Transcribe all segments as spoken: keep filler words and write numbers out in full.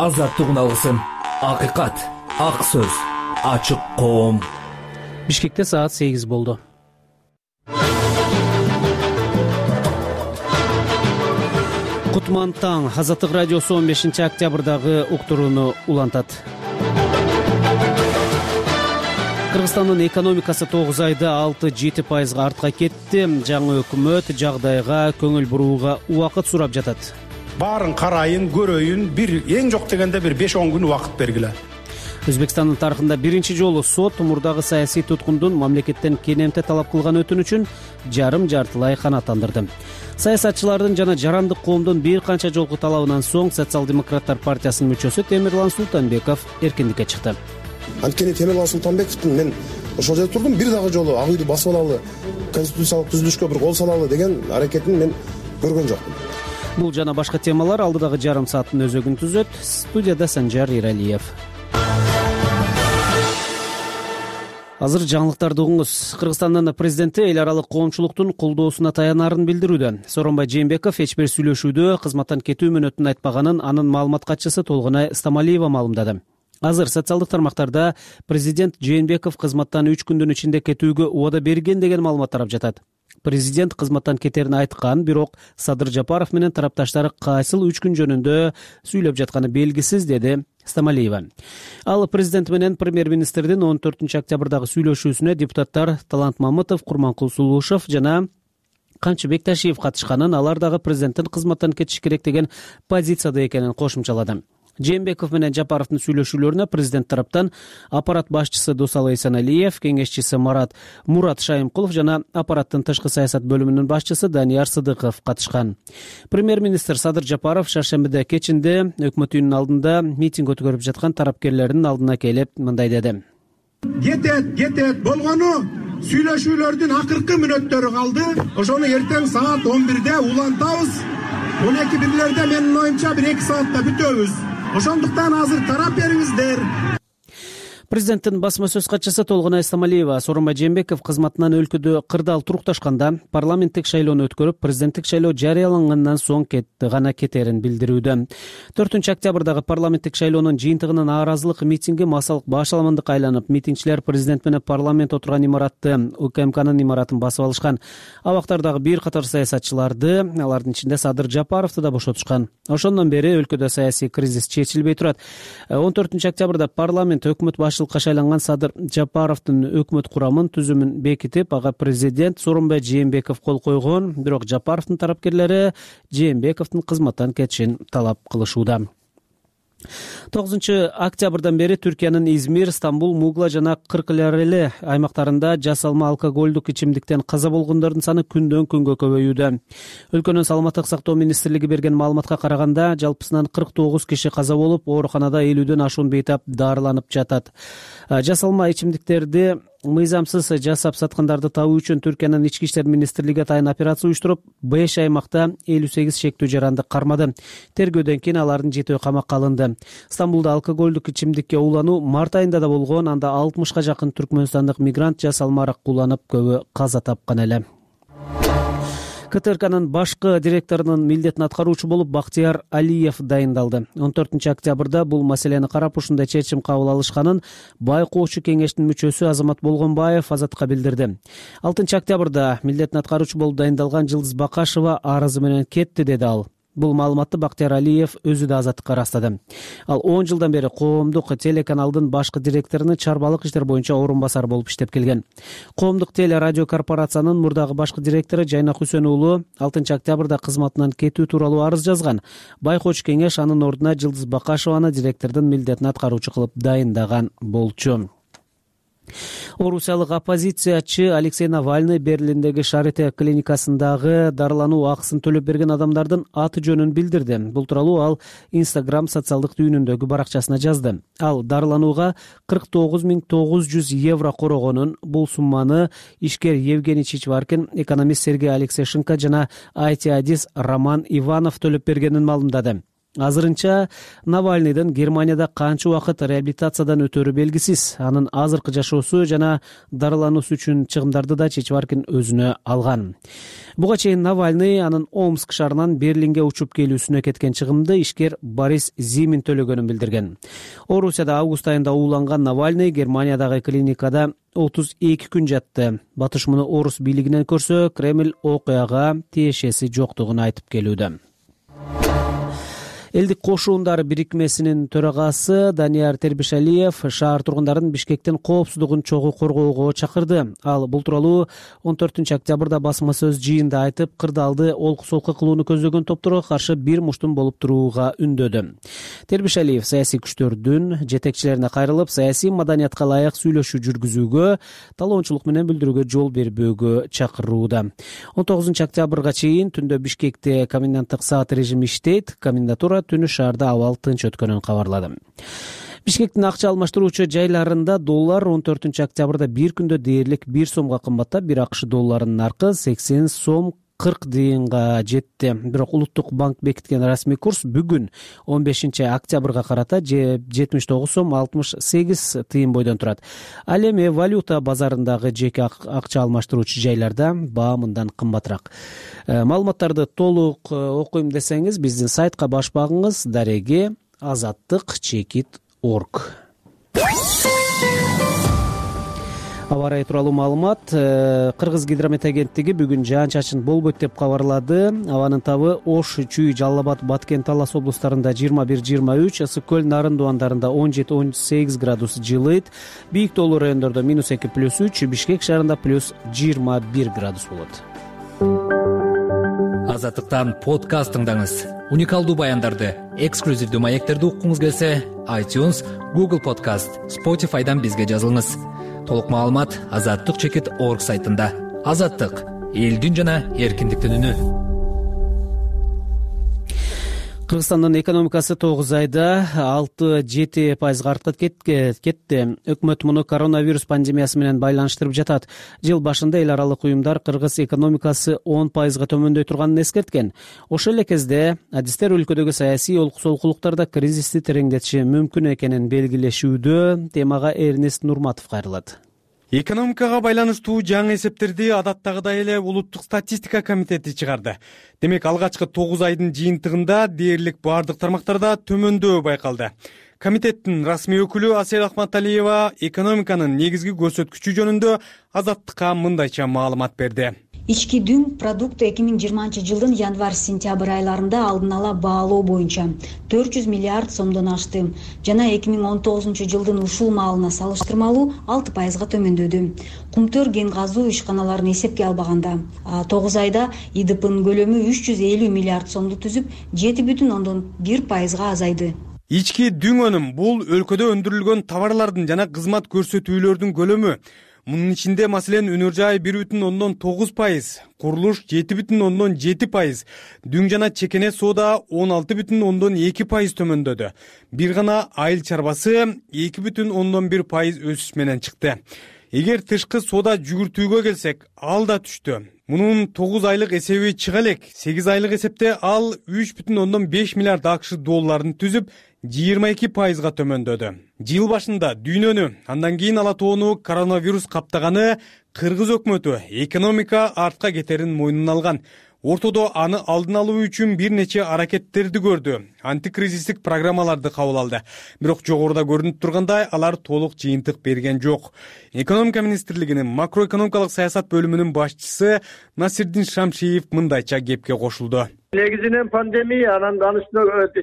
азаттыгын алсын. Акыйкат, ак сөз, ачык коом. Бишкекте саат сегиз болду. Кутман таң. Азаттык радиосу он бешинчи октябрдагы уктурууну улантат. Кыргызстандын экономикасы тогуз айда алты жети пайызга артка кетти. Жаңы өкмөт жагдайга көңүл бурууга убакыт сурап жатат. Баарын карайын, көрөйүн, бир эң жок дегенде бир беш он күн убакыт бергиле. Өзбекстандын тарыхында биринчи жолу сот мурдагы саясий туткундун мамлекеттен кенемте талап кылган өтүнүчүн жарым жартылай канааттандырды. Саясатчылардын жана жарандык коомдун бир канча жолку талабынан соң Социал-демократтар партиясынын мүчөсү Темирлан Султанбеков эркиндикке чыкты. Анткени Темирлан Султанбековдун мен ошол жерде турдум, бир дагы жолу ак үйдү басып алалы, конституциялык түзүлүшкө бир кол салалы деген аракетин мен көргөн жокмун. Бул жана башка темалар алдыдагы жарым сааттын өзөгүн түзөт. Студияда Санжар Иралиев. Азыр жаңылыктарды угуңуз. Кыргызстандын президенти эл аралык коомчулуктун колдоосуна таянарын билдирүүдө. Сооронбай Жээнбеков эч бир сүйлөшүүдө кызматтан кетүү мүнөтүн айтпаганын анын маалымат катчысы Толгонай Стамалиева маалымдады. Азыр социалдык тармактарда президент Жээнбеков кызматтан үч күндүн ичинде кетүүгө убада берген деген маалымат тарап жатат. Президент кызматтан кетерин айткан, бирок Садыр Жапаров менен тарапташтары кайсыл үч күн жөнүндө сүйлөп жатканы белгисиз, деди Стамалиева. Ал президент менен премьер-министрдин он төртүнчү октябрдагы сүйлөшүүсүнө депутаттар Талант Мамытов, Курманкул Сулушев жана Камчыбек Ташиев катышканын, алар дагы президенттин кызматтан кетиш керек деген позицияда экенин кошумчалады. Жээнбеков менен Жапаровдун сүйлөшүүлөрүнө президент тараптан аппарат башчысы Досалы Эсеналиев, кеңешчиси Марат Мурат Шайымкулов жана аппараттын тышкы саясат бөлүмүнүн башчысы Данияр Сыдыков катышкан. Премьер-министр Садыр Жапаров шаршембиде кечинде өкмөт үйүнүнүн алдында митинг өткөрүп жаткан тарапкерлердин алдына келип мындай деди. Кетет, кетет болгону сүйлөшүүлөрдүн акыркы мүнөттөрү калды. Ошону эртең саат он бирде улантабыз. он эки бирлерде менин оюмча бир эки саатта бүтөбүз. Ошондуктан азыр тарап бериңиздер. Президенттин басма сөз катчысы Толгонай Стамалиева Сооронбай Жээнбеков кызматынан өлкөдө кырдаал турукташканда парламенттик шайлоону өткөрүп, президенттик шайлоо жарыялангандан соң кетти гана кетерин билдирүүдө. төртүнчү октябрдагы парламенттик шайлоонун жыйынтыгынын нааразылык митинги массалык башаламандыкка айланып, митингчилер президент менен парламент отурган имаратты, УКМКнын имаратын басып алышкан. Абактардагы бир катар саясатчыларды, алардын ичинде Садыр Жапаровду да бошотушкан. Ошондон бери өлкөдө саясий кризис чечилбей турат. он төртүнчү октябрда парламент өкмөт башчылыгына шайланган Садыр Жапаровдун өкмөт курамын түзүмүн бекитип, ага президент Сооронбай Жээнбеков кол койгон, бирок Жапаровдун тарапкерлери Жээнбековдун кызматтан кетишин талап кылышууда. тогузунчу октябрдан бери Түркиянын Измир, Стамбул, Мугла жана Кыркылярели аймактарында жасалма алкоголдук ичимдиктен каза болгондордун саны күндөн күнгө көбөйүүдө. Өлкөнүн саламаттык сактоо министрлиги берген маалыматка караганда, жалпысынан кырк тогуз киши каза болуп, ооруканада элүүдөн ашуун бейтап дарыланып жатат. Жасалма ичимдиктерди мыйзамсыз жасап саткандарды табуу үчүн Түркиянын ички иштер министрлиги атайын операция уюштуруп, беш аймакта элүү сегиз шектүү жаранды кармады. Тергөөдөн кийин алардын жетөө камакка алынды. Стамбулда алкоголдук ичимдикке уулануу март айында да болгон, анда алтымышка жакын түркмөнстандык мигрант жасалма аракка ууланып, көбү каза тапкан эле. КТРКнын башкы директорунун милдетин аткаруучу болуп Бактияр Алиев дайындалды. он төртүнчү октябрда бул маселени карап ушундай чечим кабыл алышканын байкоочу кеңештин мүчөсү Азамат Болгонбаев Азатка билдирди. алтынчы октябрда милдетин аткаруучу болуп дайындалган Жылдыз Бакашева арызы менен кетти, деди ал. Бул маалыматты Бактияр Алиев өзү да Азаттыкка ырастады. Ал он жылдан бери коомдук телеканалдын башкы директорунун чарбалык иштер боюнча орун басары болуп иштеп келген. Коомдук теле радио корпорациянын мурдагы башкы директору Жайнак Хүсөн уулу алтынчы октябрда кызматынан кетүү тууралуу арыз жазган. Байкоочу кеңеш анын ордуна Жылдыз Бакашеваны директордун милдетин аткаруучу кылып дайындаган болчу. Орусиялык оппозициячы Алексей Навальный Берлиндеги Шарите клиникасындагы дарылануу акысын төлөп берген адамдардын аты жөнүн билдирди. Бул тууралуу ал Instagram социалдык түйүнүндөгү баракчасына жазды. Ал дарыланууга кырк тогуз миң тогуз жүз евро корогонун, бул сумманы ишкер Евгений Чичваркин, экономист Сергей Алексейшенко жана ай ти-адис Роман Иванов төлөп бергенин маалымдады. Азырынча Навальныйдын Германияда канча убакыт реабилитациядан өтөрү белгисиз. Анын азыркы жашоосу жана дарылануусу үчүн чыгымдарды да Чичваркин өзүнө алган. Буга чейин Навальный анын Омск шаарынан Берлинге учуп келүүсүнө кеткен чыгымды ишкер Борис Зимин төлөгөнүн билдирген. Орусияда август айында ууланган Навальный Германиядагы клиникада отуз эки күн жатты. Батыш муну орус бийлигинен көрсө, Кремль окуяга тиешеси жоктугун айтып келүүдө. Элдик кошуундары бирикмесинин төрагасы Данияр Тербишалиев шаар тургундарын Бишкектин коопсуздугун чогуу коргоого чакырды. Ал бул тууралуу он төртүнчү октябрда басма сөз жыйында айтып, кырдаалды олку-солку кылууну көздөгөн топторго каршы бир муштум болуп турууга үндөдү. Тербишалиев саясий күчтөрдүн жетекчилерине кайрылып, саясий маданиятка ылайык сүйлөшүү жүргүзүүгө, талоончулук менен билдирүүгө жол бербөөгө чакырууда. он тогузунчу октябрга чейин түндө Бишкекте коменданттык саат режими иштейт. Комендатура түнү шаарда абал тынч өткөнүн кабарлады. Бишкектин акча алмаштыруучу жайларында доллар он төртүнчү октябрда бир күндө дээрлик бир сомго кымбаттап, бир акш долларынын наркы сексен сом кырк тыйынга жетти. Бирок улуттук банк бекиткен расмий курс бүгүн он бешинчи октябрга карата жетимиш тогуз сом алтымыш сегиз тыйын бойдон турат. Ал эми валюта базарындагы жеке акча алмаштыруучу жайларда баа мындан кымбатыраак. Маалыматтарды толук окуйм десеңиз, биздин сайтка баш багыңыз дареги азаттык чекит точка орг. Аба ырайы тууралуу маалымат. Кыргыз гидромет агенттиги бүгүн жаан-чачын болбойт деп кабарлады. Абанын табы Ош, Чүй, Жалал Абад, Баткен, Талас облустарында жыйырма бир жыйырма үч, Ысык көл, Нарын Дуандарында он жети он сегиз градус жылыйт. Бийик тоолуу райондордо минус эки плюс үч, Бишкек шаарында плюс жыйырма бир градус болот. Азаттыктан подкаст тыңдаңыз. Уникалдуу баяндарды, эксклюзивдүү маектерди уккуңуз келсе, iTunes, Google Podcast, Spotify'дан бизге жазылыңыз. Толук маалымат азаттык чекит точка орг сайтында. Азаттык — элдин жана эркиндиктин үнү. Кыргызстандын экономикасы тогуз айда алты жети пайызга артка кетти. Өкмөт муну коронавирус пандемиясы менен байланыштырып жатат. Жыл башында эл аралык уюмдар кыргыз экономикасы он пайызга төмөндөй турганын эскерткен. Ошол эле кезде адистер өлкөдөгү саясий олкусолкулуктарда кризисти тереңдетиши мүмкүн экенин белгилешүүдө. Темага Эрнест Нурматов кайрылат. Экономикага байланыштуу жаңы эсептерди адаттагыдай эле улуттук статистика комитети чыгарды. Демек, алгачкы тогуз айдын жыйынтыгында дээрлик бардык тармактарда төмөндөө байкалды. Комитеттин расмий өкүлү Асель Ахматалиева экономиканын негизги көрсөткүчү жөнүндө Азаттыкка мындайча маалымат берди. Ички дүң продукты эки миң жыйырманчы жылдын январь-сентябрь айларында алдын ала баалоо боюнча төрт жүз миллиард сомдон ашты жана эки миң он тогузунчу жылдын ушул маалына салыштырмалуу алты пайызга төмөндөдү. Кумтөр кен казуу ишканаларын эсепке албаганда тогуз айда И Д П'нын көлөмү үч жүз элүү миллиард сомду түзүп, жети бүтүн ондон бир пайызга азайды. Ички дүң өнүм — бул өлкөдө өндүрүлгөн товарлардын жана кызмат көрсөтүүлөрдүн көлөмү. Мунун ичинде маселен өнөр жай бир бүтүн ондон тогуз пайыз, курулуш жети бүтүн ондон жети пайыз, дүң жана чекене соода он алты бүтүн ондон эки пайыз төмөндөдү. Бир гана айыл чарбасы эки бүтүн ондон бир пайыз өсүш менен чыкты. Эгер тышкы соода жүгүртүүгө келсек, ал да түштү. Мунун тогуз айлык эсеби чыга элек. сегиз айлык эсепте ал үч бүтүн ондон беш миллиард акш долларын түзүп, жыйырма эки пайызга төмөндөдү. Жыл башында дүйнөнү, андан кийин Ала тоону коронавирус каптаганы Кыргыз өкмөтү экономика артка кетерин мойнуна алган. Ортодо аны алдын алуу үчүн бир нече аракеттерди көрдү. Антикризистик программаларды кабыл алды. Бирок жогоруда көрүнүп тургандай, алар толук жыйынтык берген жок. Экономика министрлигинин макроэкономикалык саясат бөлүмүнүн башчысы Насирдин Шамшиев мындайча кепке кошулду. Негизинен пандемия, анан анын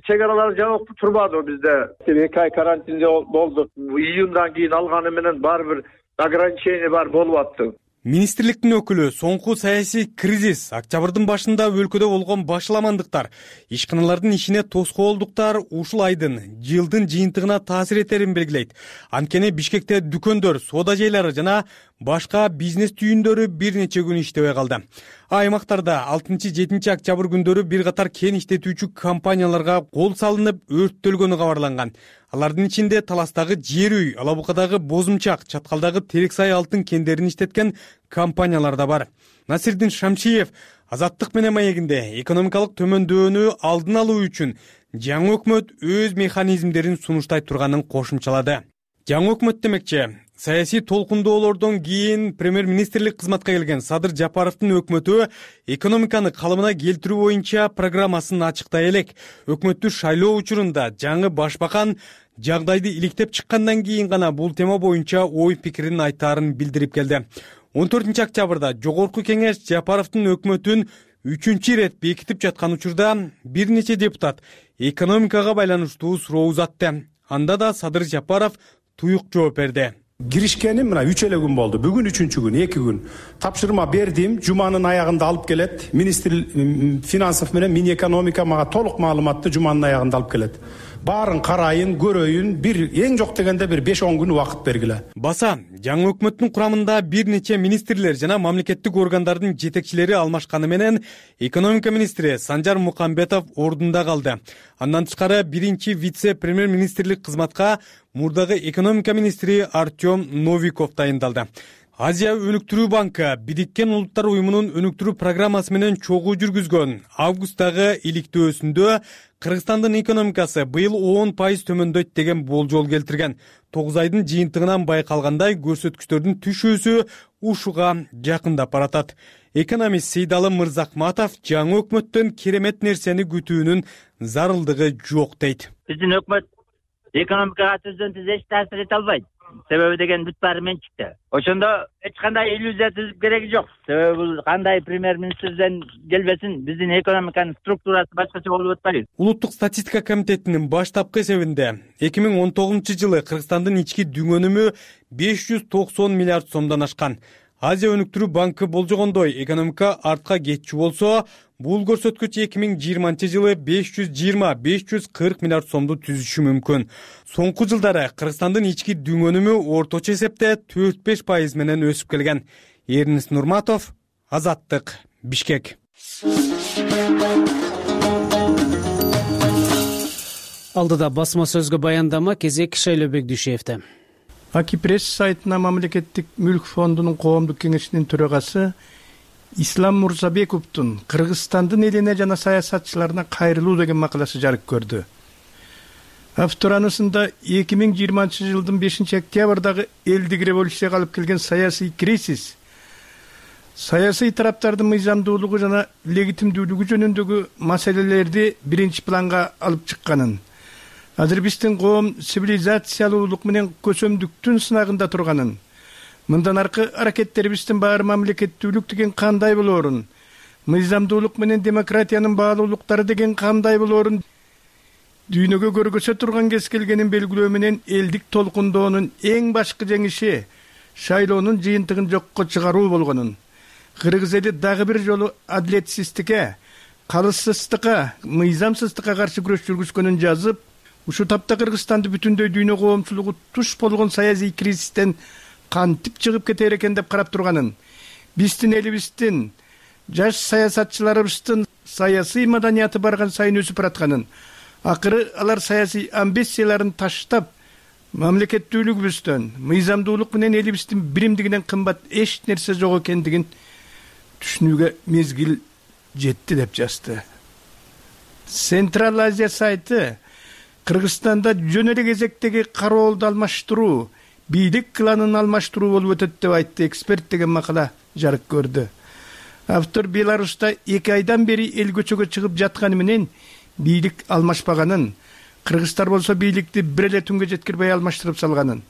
чек аралар жабык турбады бизде. эки ай карантинде болдук. Июндан кийин алганы менен баары бир ограничение бар болуп атты. Министрликтин өкүлү соңку саясий кризис, октябрдын башында өлкөдө болгон башаламандыктар, ишканалардын ишине тоскоолдуктар ушул айдын, жылдын жыйынтыгына таасир этерин белгилейт. Анткени Бишкекте дүкөндөр, соода жайлары жана башка бизнес түйүндөрү бир нече күн иштебей калды. Аймактарда алтынчы жетинчи октябрь күндөрү бир катар кен иштетүүчү компанияларга кол салынып өрттөлгөнү кабарланган. Алардын ичинде Таластагы жер үй, Ала Букадагы Бозумчак, Чаткалдагы Терексай алтын кендерин иштеткен компаниялар да бар. Насирдин Шамшиев Азаттык менен маегинде экономикалык төмөндөөнү алдын алуу үчүн жаңы өкмөт өз механизмдерин сунуштай турганын кошумчалады. Жаңы өкмөт демекчи, Саясий толкундоолордон кийин премьер-министрлик кызматка келген Садыр Жапаровдун өкмөтү экономиканы калыбына келтирүү боюнча программасын ачыктай элек. Өкмөттү шайлоо учурунда жаңы башбакан жагдайды иликтеп чыккандан кийин гана бул тема боюнча ой пикирин айтаарын билдирип келди. он төртүнчү октябрда Жогорку Кеңеш Жапаровдун өкмөтүн үчүнчү ирет бекитип жаткан учурда бир нече депутат экономикага байланыштуу суроо узатты. Анда да Садыр Жапаров туюк жооп берди. Киришкеним мына үч эле күн болду. Бүгүн үчүнчү күн, эки күн. Тапшырма бердим, жуманын аягында алып келет. Министр финансов менен Минэкономика мага толук маалыматты жуманын аягында алып келет. Баарын карайын, көрөйүн, бир эң жок дегенде бир беш он күн убакыт бергиле. Баса, жаңы өкмөттүн курамында бир нече министрлер жана мамлекеттик органдардын жетекчилери алмашканы менен экономика министри Санжар Мукамбетов ордунда калды. Андан тышкары биринчи вице-премьер-министрлик кызматка мурдагы экономика министри Артем Новиков дайындалды. Азия өнүктүрүү банкы Бириккен Улуттар уюмунун өнүктүрүү программасы менен чогуу жүргүзгөн августтагы иликтөөсүндө Кыргызстандын экономикасы быйыл он пайыз төмөндөйт деген болжол келтирген. тогуз айдын жыйынтыгынан байкалгандай көрсөткүчтөрдүн түшүүсү ушуга жакындап баратат. Экономист Сейдалы Мырзакматов жаңы өкмөттөн керемет нерсени күтүүнүн зарылдыгы жок дейт. Биздин өкмөт экономикага түздөн түз эч таасир эте албайт. Себеби деген бүт баары мен чыкты. Ошондо эч кандай иллюзия түзүп кереги жок. Себеби бул кандай премьер-министрден келбесин, биздин экономиканын структурасы башкача болуп атпайбы. Улуттук статистика комитетинин баштапкы эсебинде эки миң он тогузунчу жылы Кыргызстандын ички дүң өнүмү беш жүз токсон миллиард сомдон ашкан. Азия өнүктүрүү банкы болжогондой экономика артка кетчү болсо, бул көрсөткүч эки миң жыйырманчы жылы беш жүз жыйырма — беш жүз кырк миллиард сомду түзүшү мүмкүн. Соңку жылдары Кыргызстандын ички дүң өнүмү орточо эсепте төрт беш пайыз менен өсүп келген. Эрнис Нурматов, Азаттык, Бишкек. Алдыда басма сөзгө баяндама кезек Шайлообек Дүйшеевде. Акипресс сайтына мамлекеттик мүлк фондунун коомдук кеңешинин төрагасы Ислам Мурзабековдун Кыргызстандын элине жана саясатчыларына кайрылуу деген макаласы жарык көрдү. Автор анысында эки миң жыйырманчы жылдын бешинчи октябрдагы элдик революцияга алып келген саясий кризис, саясий тараптардын мыйзамдуулугу жана легитимдүүлүгү жөнүндөгү маселелерди биринчи планга алып чыкканын, азыр биздин коом цивилизациялуулук менен көсөмдүктүн сынагында турганын, мындан аркы аракеттерибиздин баары мамлекеттүүлүк деген кандай болоорун, мыйзамдуулук менен демократиянын баалуулуктары деген кандай болоорун дүйнөгө көргөзө турган кез келгенин белгилөө менен элдик толкундоонун эң башкы жеңиши шайлоонун жыйынтыгын жокко чыгаруу болгонун, кыргыз эли дагы бир жолу адилетсиздикке, калыссыздыкка, мыйзамсыздыкка каршы күрөш жүргүзгөнүн жазып, ушу тапта Кыргызстанды бүтүндөй дүйнө коомчулугу туш болгон саясий кризистен кантип чыгып кетер экен деп карап турганын, биздин элибиздин жаш саясатчыларыбыздын саясий маданияты барган сайын өсүп баратканын, акыры алар саясий амбицияларын таштап, мамлекеттүүлүгүбүздөн, мыйзамдуулук менен элибиздин биримдигинен кымбат эч нерсе жок экендигин түшүнүүгө мезгил жетти деп жазды. Централ Азия сайты Кыргызстанда жөн эле кезектеги кароолду алмаштыруу, бийлик кланын алмаштыруу болуп өтөт деп айтты эксперт деген макала жарык көрдү. Автор Беларуста эки айдан бери эл көчөгө чыгып жатканы менен бийлик алмашпаганын, кыргыздар болсо бийликти бир эле түнгө жеткирбей алмаштырып салганын,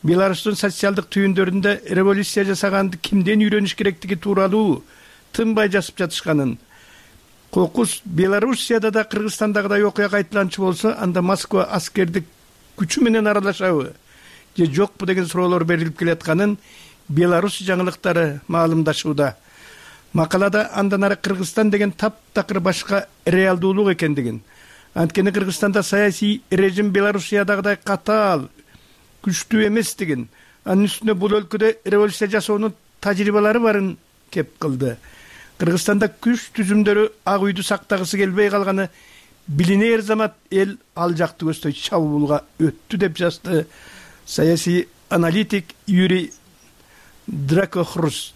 Беларустун социалдык түйүндөрүндө революция жасаганды кимден үйрөнүш керектиги тууралуу тынбай жазып жатышканын, кокус Белоруссияда да Кыргызстандагыдай окуя кайталанчу болсо, анда Москва аскердик күчү менен аралашабы же жокпу деген суроолор берилип келатканын Беларусь жаңылыктары маалымдашууда. Макалада андан ары Кыргызстан деген таптакыр башка реалдуулук экендигин, анткени Кыргызстанда саясий режим Белоруссиядагыдай катаал, күчтүү эместигин, анын үстүнө бул өлкөдө революция жасоонун тажрыйбалары барын кеп кылды. Кыргызстанда күч түзүмдөрү ак үйдү сактагысы келбей калганы билинер замат эл ал жакты көздөй чабуулга өттү деп жазды саясий аналитик Юрий Дракохрус.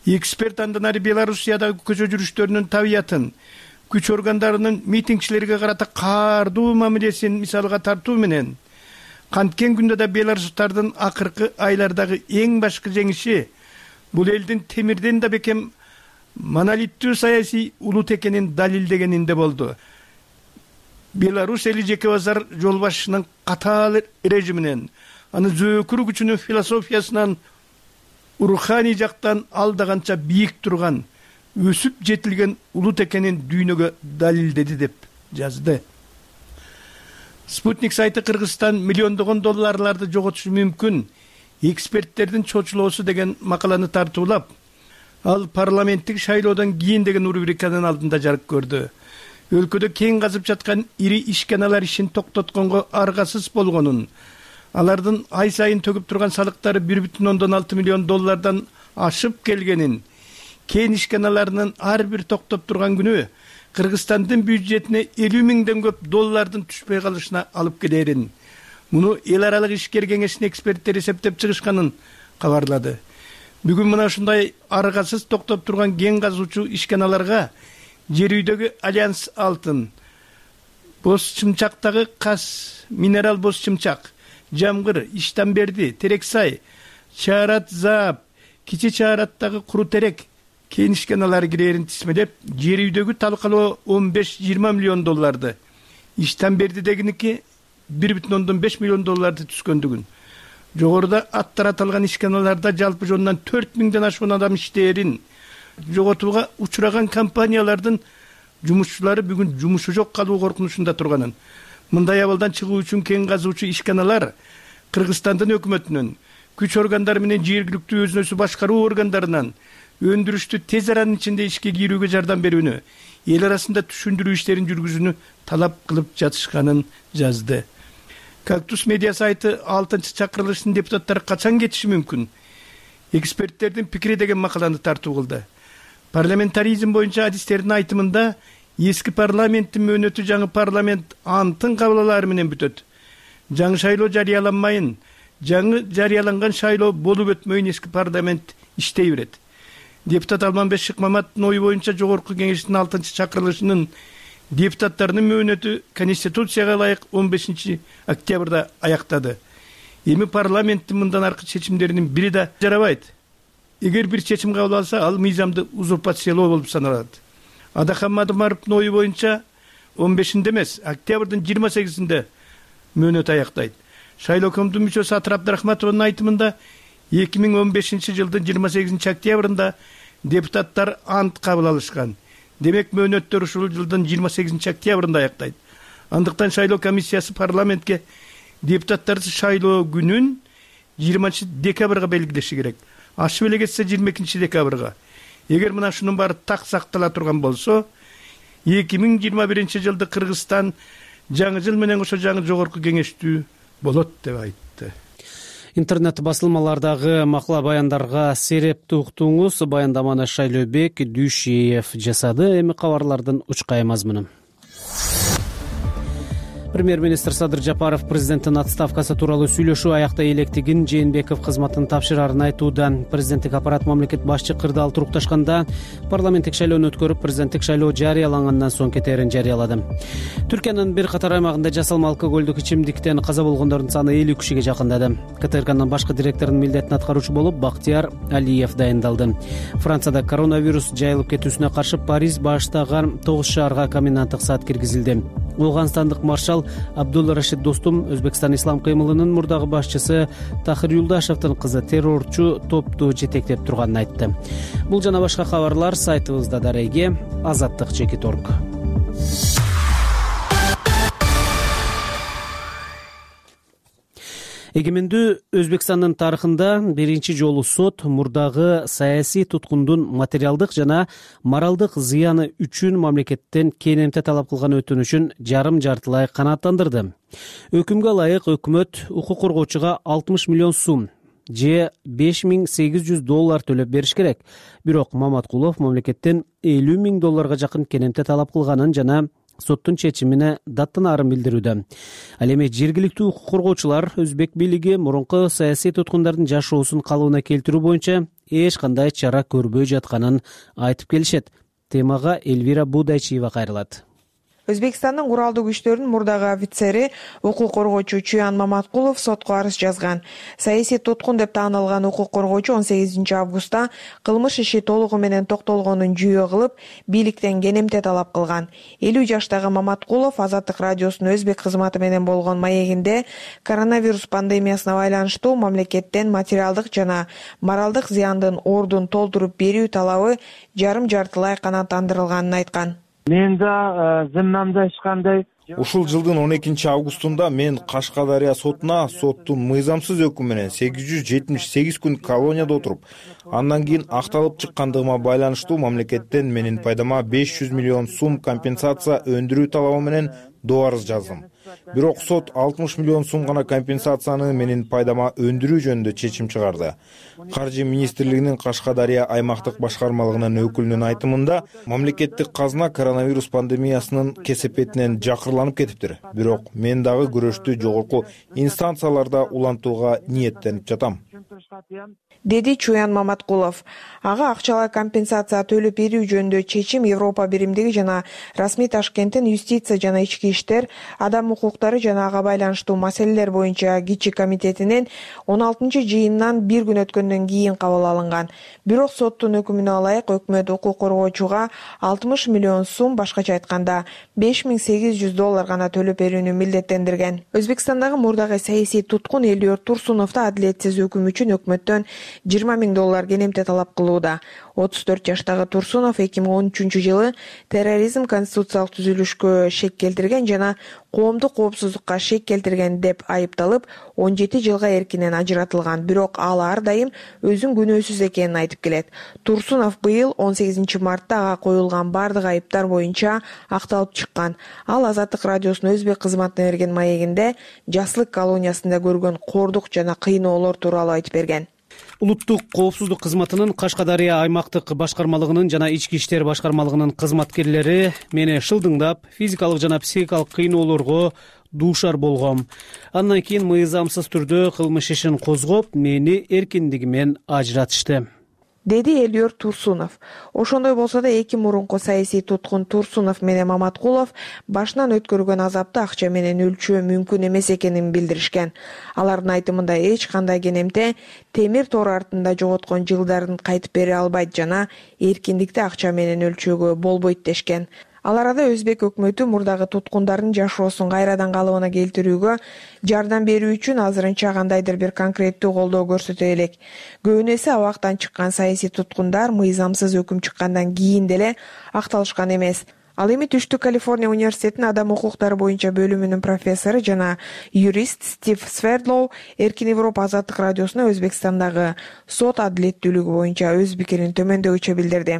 Эксперт андан ары Белоруссиядагы көчө жүрүштөрүнүн табиятын, күч органдарынын митингчилерге карата каардуу мамилесин мисалга тартуу менен, канткен күндө да белорустардын акыркы айлардагы эң башкы жеңиши бул элдин темирден да бекем монолиттүү саясий улут экенин далилдегенинде болду. Беларусь эли жеке базар жол башчынын катаал режиминен, аны зөөкүр күчүнүн философиясынан, руханий жактан алдаганча бийик турган, өсүп жетилген улут экенин дүйнөгө далилдеди деп жазды. Спутник сайты Кыргызстан миллиондогон долларларды жоготушу мүмкүн, эксперттердин чочулоосу деген макаланы тартуулап, ал парламенттик шайлоодон кийин деген рубриканын алдында жарык көрдү. Өлкөдө кең казып жаткан ири ишканалар ишин токтотконго аргасыз болгонун, алардын ай сайын төгүп турган салыктары бир бүтүн ондон алты миллион доллардан ашып келгенин, кен ишканаларынын ар бир токтоп турган күнү Кыргызстандын бюджетине элүү миңден көп доллардын түшпөй калышына алып келерин, муну эл аралык ишкер кеңешинин эксперттери эсептеп чыгышканын кабарлады. Бүгүн мына ушундай аргасыз токтоп турган кен казуучу ишканаларга жер үйдөгү Альянс Алтын, Боз Чымчактагы Кас Минерал Боз Чымчак, Жамгыр, Иштанберди, Терексай, Чаарат Заап, Кичи Чаараттагы Куру Терек кен ишканалары кирээрин тисмелеп, жер үйдөгү талкалоо он беш жыйырма миллион долларды, Иштанбердидегиники бир бүтүн ондон беш миллион долларды түскөндүгүн, жогоруда аттар аталган ишканаларда жалпы жонунан төрт миңден ашкан адам иштээрин, жоготууга учураган компаниялардын жумушчулары бүгүн жумушу жок калуу коркунучунда турганын, мындай абалдан чыгуу үчүн кен казуучу ишканалар Кыргызстандын өкмөтүнөн, күч органдары менен жергиликтүү өзүн өзү башкаруу органдарынан өндүрүштү тез аранын ичинде ишке кирүүгө жардам берүүнү, эл арасында түшүндүрүү иштерин жүргүзүүнү талап кылып жатышканын жазды. Кактус медиа сайты алтынчы чакырылыштын депутаттары качан кетиши мүмкүн? Эксперттердин пикири деген макаланы тартуу кылды. Парламентаризм боюнча адистердин айтымында эски парламенттин мөөнөтү жаңы парламент антын кабыл алаары менен бүтөт. Жаңы шайлоо жарыяланмайын, жаңы жарыяланган шайлоо болуп өтмөйүн эски парламент иштей берет. Депутат Алманбек Шыкмаматтын ою боюнча жогорку кеңештин алтынчы чакырылышынын депутаттарынын мөөнөтү Конституцияга ылайык он бешинчи октябрда аяктады. Эми парламенттин мындан аркы чечимдеринин бири да жарабайт. Эгер бир чечим кабыл алса, ал мыйзамды узурпациялоо болуп саналат. Адахан Мадымаровдун ою боюнча он бешинде эмес, октябрдын жыйырма сегизинде мөөнөт аяктайт. Шайлоо комитетинин мүчөсү Атыр Абдрахматованын айтымында эки миң он бешинчи жылдын жыйырма сегизинчи октябрында депутаттар ант кабыл алышкан. Демек мөөнөттөр ушул жылдын жыйырма сегизинчи октябрында аяктайт. Андыктан шайлоо комиссиясы парламентке депутаттарды шайлоо күнүн жыйырманчы декабрга белгилеши керек. Ашып эле кетсе жыйырма экинчи декабрга. Эгер мына ушунун баары так сактала турган болсо, эки миң жыйырма биринчи жылды Кыргызстан жаңы жыл менен кошо жаңы жогорку кеңештүү болот деп айтты. Интернет басылмалардагы макала баяндарга серепти уктуңуз. Баяндаманы Шайлообек Дүйшиев жасады. Эми кабарлардын учкай мазмуну. Премьер-министр Садыр Жапаров президенттин отставкасы тууралуу сүйлөшүү аяктай электигин Жээнбеков кызматын тапшырарын айтууда. Президенттик аппарат мамлекет башчы кырдаал турукташканда парламенттик шайлоону өткөрүп, президенттик шайлоо жарыялангандан соң кетерин жарыялады. Түркиянын бир катар аймагында жасалма алкоголдук ичимдиктен каза болгондордун саны элүү кишиге жакындады. КТРКнын башкы директорунун милдетин аткаруучу болуп Бактияр Алиев дайындалды. Францияда коронавирус жайылып кетүүсүнө каршы Париж баштаган тогуз шаарга коменданттык саат киргизилди. Ооганстандык маршал Абдулла Рашид Достум Өзбекстан ислам кыймылынын мурдагы башчысы Тахир Юлдашевдин кызы террорчу топту жетектеп турганын айтты. Бул жана башка кабарлар сайтыбызда дареги азаттык чекит точка орг. Эгемендүү Өзбекстандын тарыхында биринчи жолу сот мурдагы саясий туткундун материалдык жана моралдык зыяны үчүн мамлекеттен кенемте талап кылган өтүнүшүн жарым жартылай канааттандырды. Өкүмгө ылайык өкмөт укук коргоочуга алтымыш миллион сум же беш миң сегиз жүз доллар төлөп бериш керек. Бирок Маматкулов мамлекеттен элүү миң долларга жакын кенемте талап кылганын жана соттун чечимине даттанаарын билдирүүдө. Ал эми жергиликтүү укук коргоочулар Өзбек бийлиги мурунку саясий туткундардын жашоосун калыбына келтирүү боюнча эч кандай чара көрбөй жатканын айтып келишет. Темага Эльвира Будайчиева кайрылат. Өзбекстандын куралдуу күчтөрүнүн мурдагы офицери, укук коргоочу Чуян Маматкулов сотко арыз жазган. Саясий туткун деп таанылган укук коргоочу он сегизинчи августта кылмыш иши толугу менен токтолгонун жүйө кылып, бийликтен кенемте талап кылган. элүү жаштагы Маматкулов Азаттык радиосунун өзбек кызматы менен болгон маегинде коронавирус пандемиясына байланыштуу мамлекеттен материалдык жана моралдык зыяндын ордун толтуруп берүү талабы жарым жартылай канааттандырылганын айткан. Мен да зымнамда эч кандай. Ушул жылдын он экинчи августунда мен Кашкадария сотуна соттун мыйзамсыз өкүмү менен сегиз жүз жетимиш сегиз күн колонияда отуруп, андан кийин акталып чыккандыгыма байланыштуу мамлекеттен менин пайдама беш жүз миллион сум компенсация өндүрүү талабы менен доо арыз жаздым. Бирок сот алтымыш миллион сум гана компенсацияны менин пайдама өндүрүү жөнүндө чечим чыгарды. Каржы министрлигинин Кашкадария аймактык башкармалыгынын өкүлүнүн айтымында, мамлекеттик казына коронавирус пандемиясынын кесепетинен жакырланып кетиптир. Бирок мен дагы күрөштү жогорку инстанцияларда улантууга ниеттенип жатам, деди Чуян Маматкулов. Ага акчалай компенсация төлөп берүү жөнүндө чечим Европа биримдиги жана расмий Ташкенттин юстиция жана ички иштер, адам укуктары жана ага байланыштуу маселелер боюнча кичи комитетинин он алтынчы жыйынынан бир күн өткөндөн кийин кабыл алынган. Бирок соттун өкүмүнө ылайык өкмөт укук коргоочуга алтымыш миллион сум, башкача айтканда беш миң сегиз жүз доллар гана төлөп берүүнү милдеттендирген. Өзбекстандагы мурдагы саясий туткун Элиор Турсунов да адилетсиз өкүм үчүн өкмөттөн жыйырма миң доллар кенемте талап кылууда. отуз төрт жаштагы Турсунов эки миң он үчүнчү жылы терроризм конституциялык түзүлүшкө шек келтирген жана коомдук коопсуздукка шек келтирген деп айыпталып, он жети жылга эркинен ажыратылган. Бирок ал ар дайым өзүн күнөөсүз экенин айтып келет. Турсунов быйыл он сегизинчи мартта ага коюлган бардык айыптар боюнча акталып чыккан. Ал Азаттык радиосунун өзбек кызматына берген маегинде жаслык колониясында көргөн кордук жана кыйноолор тууралуу айтып берген. Улуттук коопсуздук кызматынын Кашкадария аймактык башкармалыгынын жана ички иштер башкармалыгынын кызматкерлери мени шылдыңдап, физикалык жана психикалык кыйноолорго дуушар болгом. Андан кийин мыйзамсыз түрдө кылмыш ишин козгоп, мени эркиндигимен ажыратышты, деди Элиор Турсунов. Ошондой болсо да эки мурунку саясий туткун Турсунов менен Маматкулов башынан өткөргөн азапты акча менен өлчөө мүмкүн эмес экенин билдиришкен. Алардын айтымында эч кандай кенемте темир тор артында жоготкон жылдарын кайтып бере албайт жана эркиндикти акча менен өлчөөгө болбойт дешкен. Ал арада өзбек өкмөтү мурдагы туткундардын жашоосун кайрадан калыбына келтирүүгө жардам берүү үчүн азырынча кандайдыр бир конкреттүү колдоо көрсөтө элек. Көбүнесе абактан чыккан саясий туткундар мыйзамсыз өкүм чыккандан кийин деле акталышкан эмес. Ал эми Түштүк Калифорния университетинин адам укуктары боюнча бөлүмүнүн профессору жана юрист Стив Свердлоу Эркин Европа Азаттык радиосуна Өзбекстандагы сот адилеттүүлүгү боюнча өз пикирин төмөндөгүчө билдирди.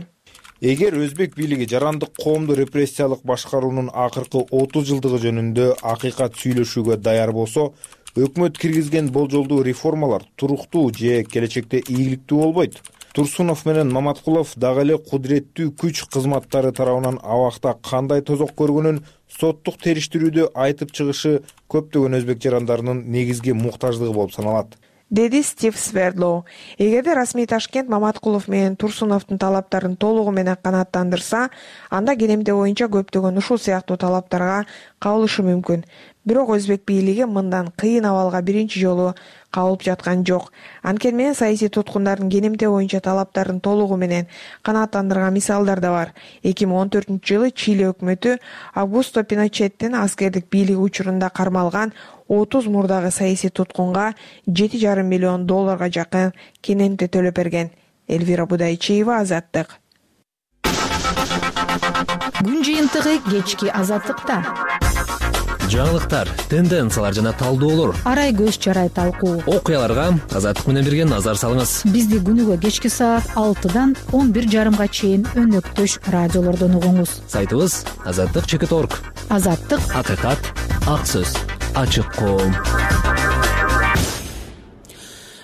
Эгер өзбек бийлиги жарандык коомду репрессиялык башкаруунун акыркы отуз жылдыгы жөнүндө акыйкат сүйлөшүүгө даяр болсо, өкмөт киргизген болжолдуу реформалар туруктуу же келечекте ийгиликтүү болбойт. Турсунов менен Маматкулов дагы эле кудуреттүү күч кызматтары тарабынан абакта кандай тозок көргөнүн соттук териштирүүдө айтып чыгышы көптөгөн өзбек жарандарынын негизги муктаждыгы болуп саналат, деди Стив Свердлоу. Эгерде расмий Ташкент Маматкулов менен Турсуновдун талаптарын толугу менен канааттандырса, анда кенемте боюнча көптөгөн ушул сыяктуу талаптарга кабылышы мүмкүн. Бирок өзбек бийлиги мындан кыйын абалга биринчи жолу кабылып жаткан жок. Анткени менен саясий туткундардын кенемте боюнча талаптарын толугу менен канааттандырган мисалдар да бар. эки миң он төртүнчү жылы Чили өкмөтү Аугусто Пиночеттин аскердик бийлиги учурунда кармалган отуз мурдагы саясий туткунга жети жарым миллион долларга жакын кенемте төлөп берген. Элвира Будайчиева, Азаттык. Күн жыйынтыгы кечки Азаттыкта. Жаңылыктар, тенденциялар жана талдоолор, арай көз чарай талкуу, окуяларга Азаттык менен бирге назар салыңыз. Бизди күнүгө кечки саат алтыдан он бир жарымга чейин өнөктөш радиолордон угуңуз. Сайтыбыз азаттык чекит точка орг. Азаттык, акыйкат, ак сөз, ачык коом.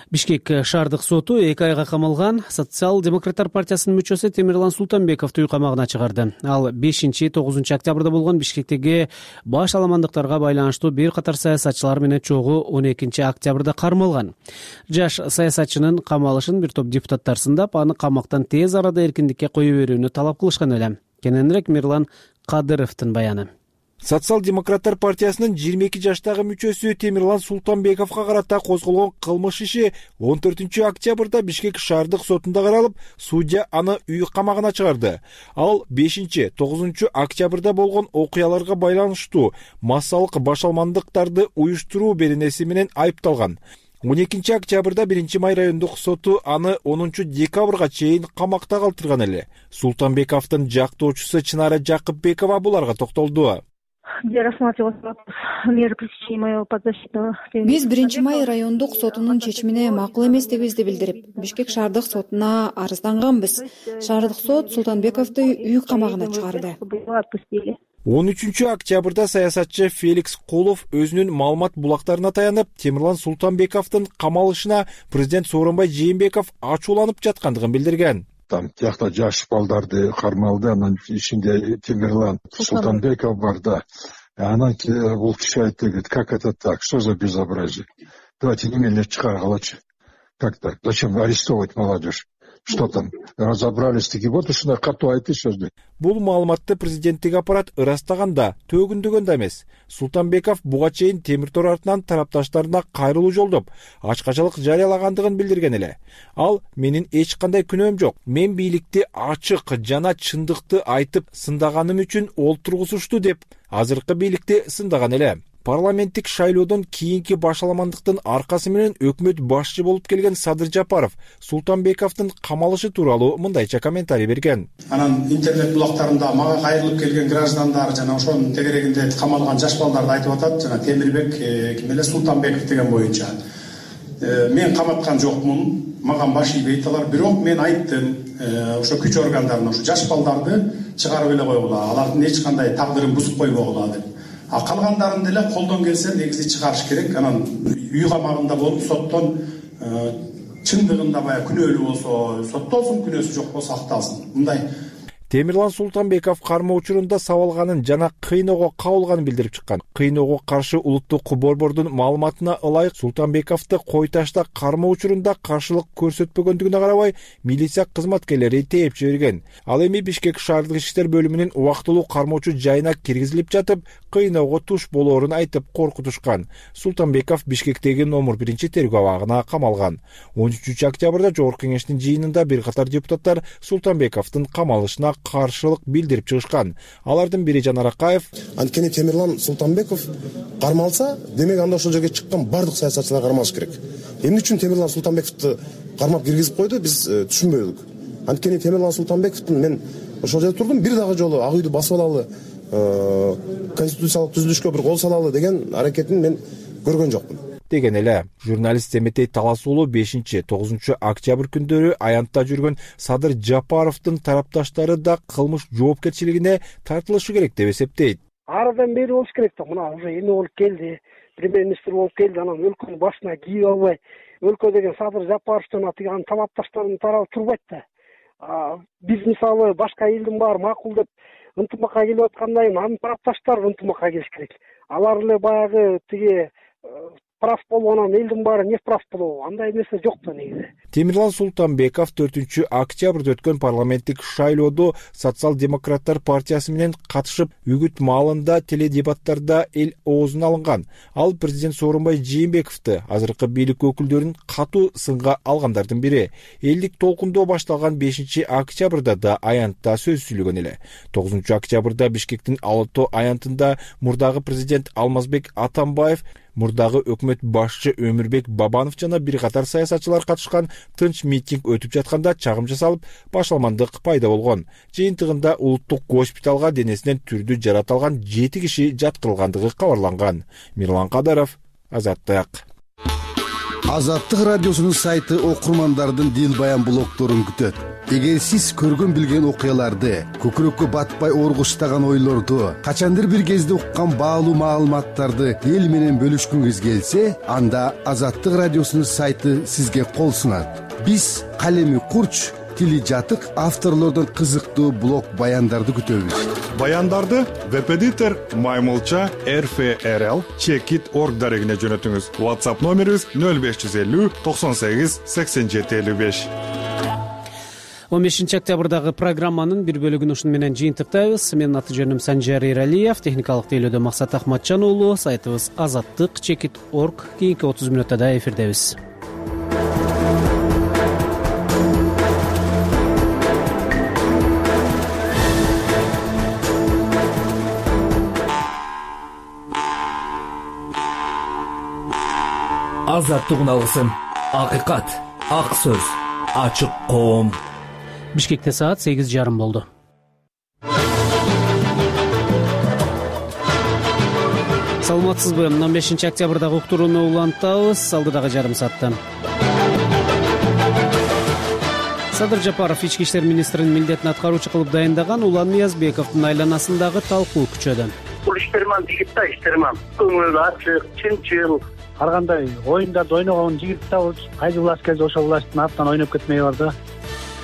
Бишкек шаардык соту эки айга камалган Социал-демократтар партиясынын мүчөсү Темирлан Султанбековду үй камагына чыгарды. Ал бешинчи тогузунчу октябрда болгон Бишкектеги баш аламандыктарга байланыштуу бир катар саясатчылар менен чогуу он экинчи октябрда кармалган. Жаш саясатчынын камалышын бир топ депутаттар сындап, аны камактан тез арада эркиндикке кое берүүнү талап кылышкан эле. Кененирээк Мирлан Кадыровдун баяны. Социал-демократтар партиясынын жыйырма эки жаштагы мүчөсү Темирлан Султанбековго карата козголгон кылмыш иши он төртүнчү октябрда Бишкек шаардык сотунда каралып, судья аны үй камагына чыгарды. Ал бешинчи тогузунчу октябрда болгон окуяларга байланыштуу массалык башалмандыктарды уюштуруу беренеси менен айыпталган. он экинчи октябрда биринчи май райондук соту аны онунчу декабрга чейин камакта калтырган эле. Султанбековдун жактоочусу Чынара Жакыпбекова буларга токтолду. Биз биринчи май райондук сотунун чечимине макул эместигибизди билдирип, Бишкек шаардык сотуна арызданганбыз. Шаардык сот Султанбековду үй камагына чыгарды. он үчүнчү октябрда саясатчы Феликс Кулов өзүнүн маалымат булактарына таянып, Темирлан Султанбековдун камалышына президент Сооронбай Жээнбеков ачууланып жаткандыгын билдирген. Там тиякта жаш балдарды кармалды, анан ичинде Темирлан Султанбеков бар да. Анан бул киши айтты, говорит, как это так, что за безобразие? Давайте немедленно чыгаргалычы. Как так? Зачем арестовывать молодежь? Что там, разобрались таки, вот ушундай катуу айтты сөздү. Бул маалыматты президенттик аппарат ырастаганда, төгүндөгөн эмес. Султанбеков буга чейин темир тор артынан тарапташтарына кайрылуу жолдоп, ачкачалык жарыялагандыгын билдирген эле. Ал: менин эч кандай күнөөм жок. Мен бийликти ачык жана чындыкты айтып сындаганым үчүн олтургузушту деп азыркы бийликти сындаган эле. Парламенттик шайлоодон кийинки башаламандыктын аркасы менен өкмөт башчы болуп келген Садыр Жапаров Султанбековдун камалышы тууралуу мындайча комментарий берген. Анан интернет булактарында мага кайрылып келген граждандар жана ошонун тегерегинде камалган жаш балдарды айтып атат, жана Темирбек ким эле Султанбеков деген боюнча. Мен каматкан жокмун, мага баш ийбейт алар, бирок мен айттым, ошо күч органдарына ошо жаш балдарды чыгарып эле койгула, алардын эч кандай тагдырын бузуп койбогула деп. А калгандарын деле колдон келсе негизи чыгарыш керек. Анан үй камагында болуп соттон чындыгында баягы күнөөлүү болсо соттолсун, күнөөсү жок болсо акталсын. Мындай Темирлан Султанбеков кармоо учурунда сабалганын жана кыйноого кабылганын билдирип чыккан. Кыйноого каршы улуттук борбордун маалыматына ылайык Султанбековду кой ташта кармоо учурунда каршылык көрсөтпөгөндүгүнө карабай милиция кызматкерлери тээп жиберген. Ал эми Бишкек шаардык иштер бөлүмүнүн убактылуу кармоочу жайына киргизилип жатып, кыйноого туш болоорун айтып коркутушкан. Султанбеков Бишкектеги номер биринчи тергөө абагына камалган. он үчүнчү октябрда Жогорку кеңештин жыйынында бир катар депутаттар Султанбековдун камалышына каршылык билдирип чыгышкан. Алардын бири Жанар Акаев: анткени Темирлан Султанбеков кармалса, демек анда ошол жерге чыккан бардык саясатчылар кармалыш керек. Эмне үчүн Темирлан Султанбековду кармап киргизип койду, биз түшүнбөдүк. Анткени Темирлан Султанбековдун мен ошол жерде турдум, бир дагы жолу ак үйдү басып алалы, конституциялык түзүлүшкө бир кол салалы деген аракетин мен көргөн жокмун деген эле. Журналист Эметей Талас уулу бешинчи тогузунчу октябрь күндөрү аянтта жүргөн Садыр Жапаровдун тарапташтары да кылмыш жоопкерчилигине тартылышы керек деп эсептейт. Арыдан бери болуш керек да, мына уже эме болуп келди, премьер-министр болуп келди, анан өлкөнүн башына кийип албай, өлкө деген Садыр Жапаровдун атыган талапташтардын тарабы турбайт да. Биз мисалы башка элдин баары макул деп ынтымакка келип аткандай, анын тарапташтары ынтымакка келиш керек. Алар эле баягы тиги прав болгонун элдин баары не прав болобу? Андай нерсе жок да негизи. Темирлан Султанбеков төртүнчү октябрда өткөн парламенттик шайлоодо Социал-демократтар партиясы менен катышып, үгүт маалында теледебаттарда эл оозуна алынган. Ал президент Сооронбай Жээнбековду, азыркы бийлик өкүлдөрүн катуу сынга алгандардын бири. Элдик толкундоо башталган бешинчи октябрда да аянтта сөз сүйлөгөн эле. тогузунчу октябрда Бишкектин Алото аянтында мурдагы президент Алмазбек Атамбаев, мурдагы өкмөт башчы Өмүрбек Бабанов жана бир катар саясатчылар катышкан тынч митинг өтүп жатканда чагым жасалып, башаламандык пайда болгон. Жыйынтыгында улуттук госпиталга денесинен түрдүү жаратылган жети киши жаткырылгандыгы кабарланган. Мирлан Кадаров, Азаттык. Азаттык радиосунун сайты окурмандардын дил баян блогдорун күтөт. Эгер сиз көргөн билген окуяларды, көкүрөккө батпай оргуштаган ойлорду, качандыр бир кезде уккан баалуу маалыматтарды эл менен бөлүшкүңүз келсе, анда Азаттык радиосунун сайты сизге кол сунат. Биз калеми курч, тили жатык авторлордон кызыктуу блог баяндарды күтөбүз. Баяндарды веб-эдитор Маймылча эр эф эр эл чекит точка орг дарегине жөнөтүңүз. WhatsApp номерибиз нөл беш жүз элүү токсон сегиз сексен жети элүү беш. он бешинчи октябрдагы программанын бир бөлүгүн ушуну менен жыйынтыктайбыз. Менин аты жөнүм Санжар Эралиев, техникалык тейлөөдө Максат Ахматжан уулу. Сайтыбыз азаттык чекит точка орг. Кийинки отуз мүнөттө да эфирдебиз. Азаттык уналгысын, акыйкат, ак сөз, ачык коом. Бишкекте саат сегиз жарым болду. Саламатсызбы? он бешинчи октябрдагы уктурууну улантабыз. Алдыдагы жарым саатта Садыр Жапаров ички иштер министринин милдетин аткаруучу кылып дайындаган Улан Ниязбековдун айланасындагы талкуу күчөдө. Бул иштерман жигит да, иштерман. Көңүл ачык, чынчыл. Ар кандай оюндарды ойногон жигит да, кайсы власть келсе ошол власттын артынан ойноп кетмей бар да.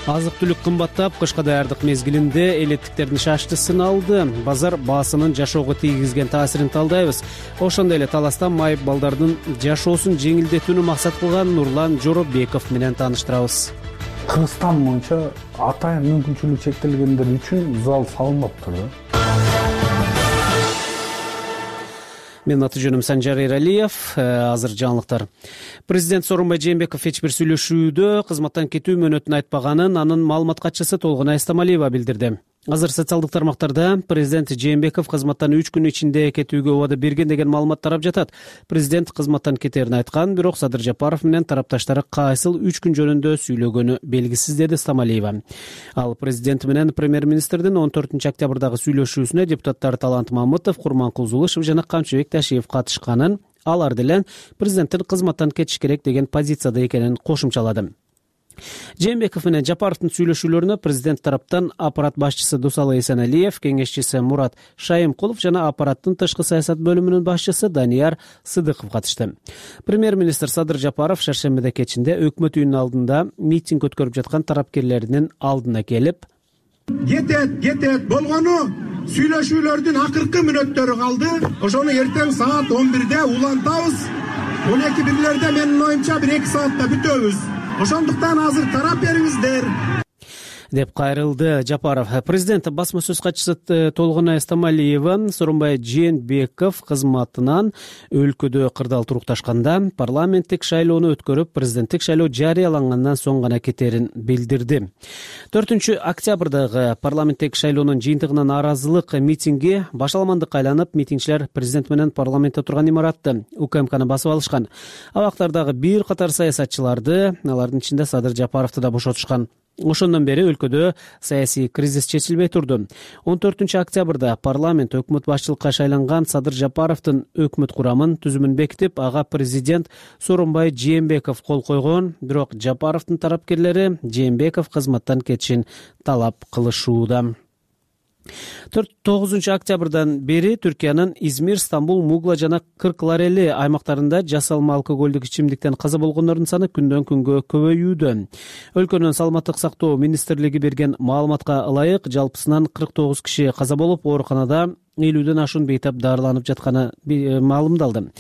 Азык түлүк кымбаттап, кышка даярдык мезгилинде элеттиктердин шаштысын алды. Базар баасынын жашоого тийгизген таасирин талдайбыз. Ошондой эле таласта майып балдардын жашоосун жеңилдетүүнү максат кылган Нурлан Жоробеков менен тааныштырабыз. Кыргызстан боюнча атайын мүмкүнчүлүгү чектелгендер үчүн зал салынмаптыр да. Менин аты жөнүм Санжар Эралиев. Азыр жаңылыктар. Президент Сооронбай Жээнбеков эч бир сүйлөшүүдө кызматтан кетүү мөөнөтүн айтпаганын анын маалымат катчысы Толгонай Стамалиева билдирди. Азыр социалдык тармактарда президент Жээнбеков кызматтан үч күн ичинде кетүүгө убада берген деген маалымат тарап жатат. Президент кызматтан кетерин айткан, бирок Садыр Жапаров менен тарапташтары кайсыл үч күн жөнүндө сүйлөгөнү белгисиз, деди Стамалиева. Ал президент менен премьер-министрдин он төртүнчү октябрдагы сүйлөшүүсүнө депутаттар Талант Мамытов, Курманкул Зулышев жана Камчыбек Ташиев катышканын, алар деле президенттин кызматтан кетиш керек деген позицияда экенин кошумчалады. Жээнбеков менен Жапаровдун сүйлөшүүлөрүнө президент тараптан аппарат башчысы Дусалы Эсеналиев, кеңешчиси Мурат Шайымкулов жана аппараттын тышкы саясат бөлүмүнүн башчысы Данияр Сыдыков катышты. Премьер-министр Садыр Жапаров шаршембиде кечинде өкмөт үйүнүнүн алдында митинг өткөрүп жаткан тарапкерлердин алдына келип, кетет кетет болгону сүйлөшүүлөрдүн акыркы мүнөттөрү калды. Ошону эртең саат он бирде улантабыз. он эки бирлерде менин оюмча бир эки саатта бүтөбүз. Ошондуктан азыр тарап бериңиздер, деп кайрылды Жапаров. Президент басма сөз катчысы Толгонай Стамалиева Сооронбай Жээнбеков кызматынан өлкөдө кырдаал турукташканда парламенттик шайлоону өткөрүп, президенттик шайлоо жарыялангандан соң гана кетерин билдирди. төртүнчү октябрдагы парламенттик шайлоонун жыйынтыгынан нааразылык митинги башаламандыкка айланып, митингчилер президент менен парламентте турган имаратты УКМКны басып алышкан. Абактардагы бир катар саясатчыларды, алардын ичинде Садыр Жапаровду да бошотушкан. Ошондон бери өлкөдө саясий кризис чечилбей турду. он төртүнчү октябрда парламент өкмөт башчылыкка шайланган Садыр Жапаровдун өкмөт курамын, түзүмүн бекитип, ага президент Сооронбай Жээнбеков кол койгон. Бирок Жапаровдун тарапкерлери Жээнбеков кызматтан кетишин талап кылышууда. тогузунчу октябрдан бери Түркиянын Измир, Стамбул, Мугла жана Кыркlareli аймактарында жасалма алкоголдук ичимдиктен каза болгондордун саны күндөн күнгө көбөйүүдө. Өлкөнүн саламаттык сактоо министрлиги берген маалыматка ылайык, жалпысынан кырк тогуз киши каза болуп, ооруканада элүүдөн ашуун бейтап дарыланып жатканы маалымдалды.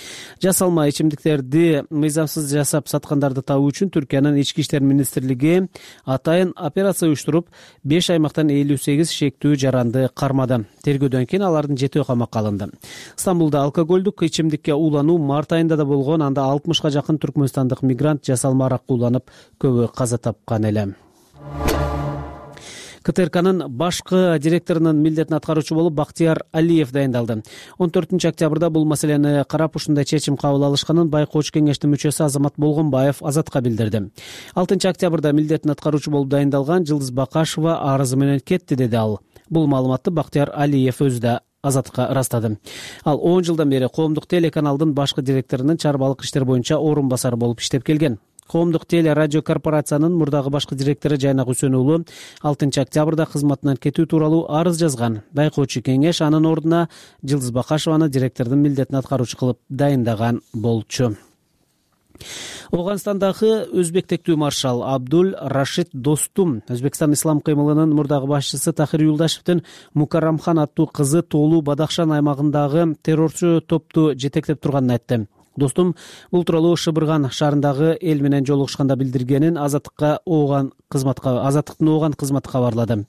Жасалма ичимдиктерди мыйзамсыз жасап саткандарды табуу үчүн Түркиянын ички иштер министрлиги атайын операция уюштуруп, беш аймактан элүү сегиз шектүү жаранды кармады. Тергөөдөн кийин алардын жетөө камакка алынды. Стамбулда алкоголдук ичимдикке уулануу март айында да болгон, анда алтымышка жакын түркмөнстандык мигрант жасалма аракка ууланып, көбү каза тапкан эле. КТРКнын башкы директорунун милдетин аткаруучу болуп Бактияр Алиев дайындалды. он төртүнчү октябрда бул маселени карап ушундай чечим кабыл алышканын байкоочу кеңештин мүчөсү Азамат Болгонбаев Азатка билдирди. алтынчы октябрда милдетин аткаруучу болуп дайындалган Жылдыз Бакашева арызы менен кетти, деди ал. Бул маалыматты Бактияр Алиев өзү да Азатка ырастады. Ал он жылдан бери коомдук телеканалдын башкы директорунун чарбалык иштер боюнча орун басары болуп иштеп келген. Коомдук теле радио корпорациянын мурдагы башкы директору Жайнак Үсөн уулу алтынчы октябрда кызматынан кетүү тууралуу арыз жазган. Байкоочу кеңеш анын ордуна Жылдыз Бакашеваны директордун милдетин аткаруучу кылып дайындаган болчу. Ооганстандагы өзбек тектүү маршал Абдул Рашид Достум Өзбекстан ислам кыймылынын мурдагы башчысы Тахир Юлдашевдин Мукарамхан аттуу кызы Тоолуу Бадахшан аймагындагы террорчу топту жетектеп турганын айтты. достум, бул тууралуу Шыбырган шаарындагы эл менен жолугушканда билдиргенин азаттыкка ооган кызматка азаттыктын ооган кызматы кабарлады.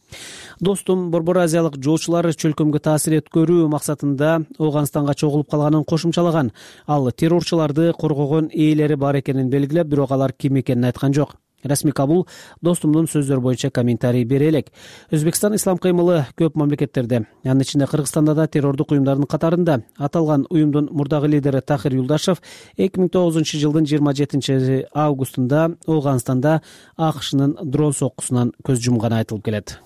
Достум, Борбор Азиялык жоочулар чөлкөмгө таасир өткөрүү максатында Ооганстанга чогулуп калганын кошумчалаган. Ал террорчуларды коргогон ээлери бар экенин белгилеп, бирок алар ким экенин айткан жок. Расмий Кабул достумдун сөздөрү боюнча комментарий бере элек. Өзбекстан ислам кыймылы көп мамлекеттерде, анын ичинде Кыргызстанда да террордук уюмдардын катарында. Аталган уюмдун мурдагы лидери Тахир Юлдашев эки миң тогузунчу жылдын жыйырма жетинчи августунда Ооганстанда АКШнын дрон соккусунан көз жумганы айтылып келет.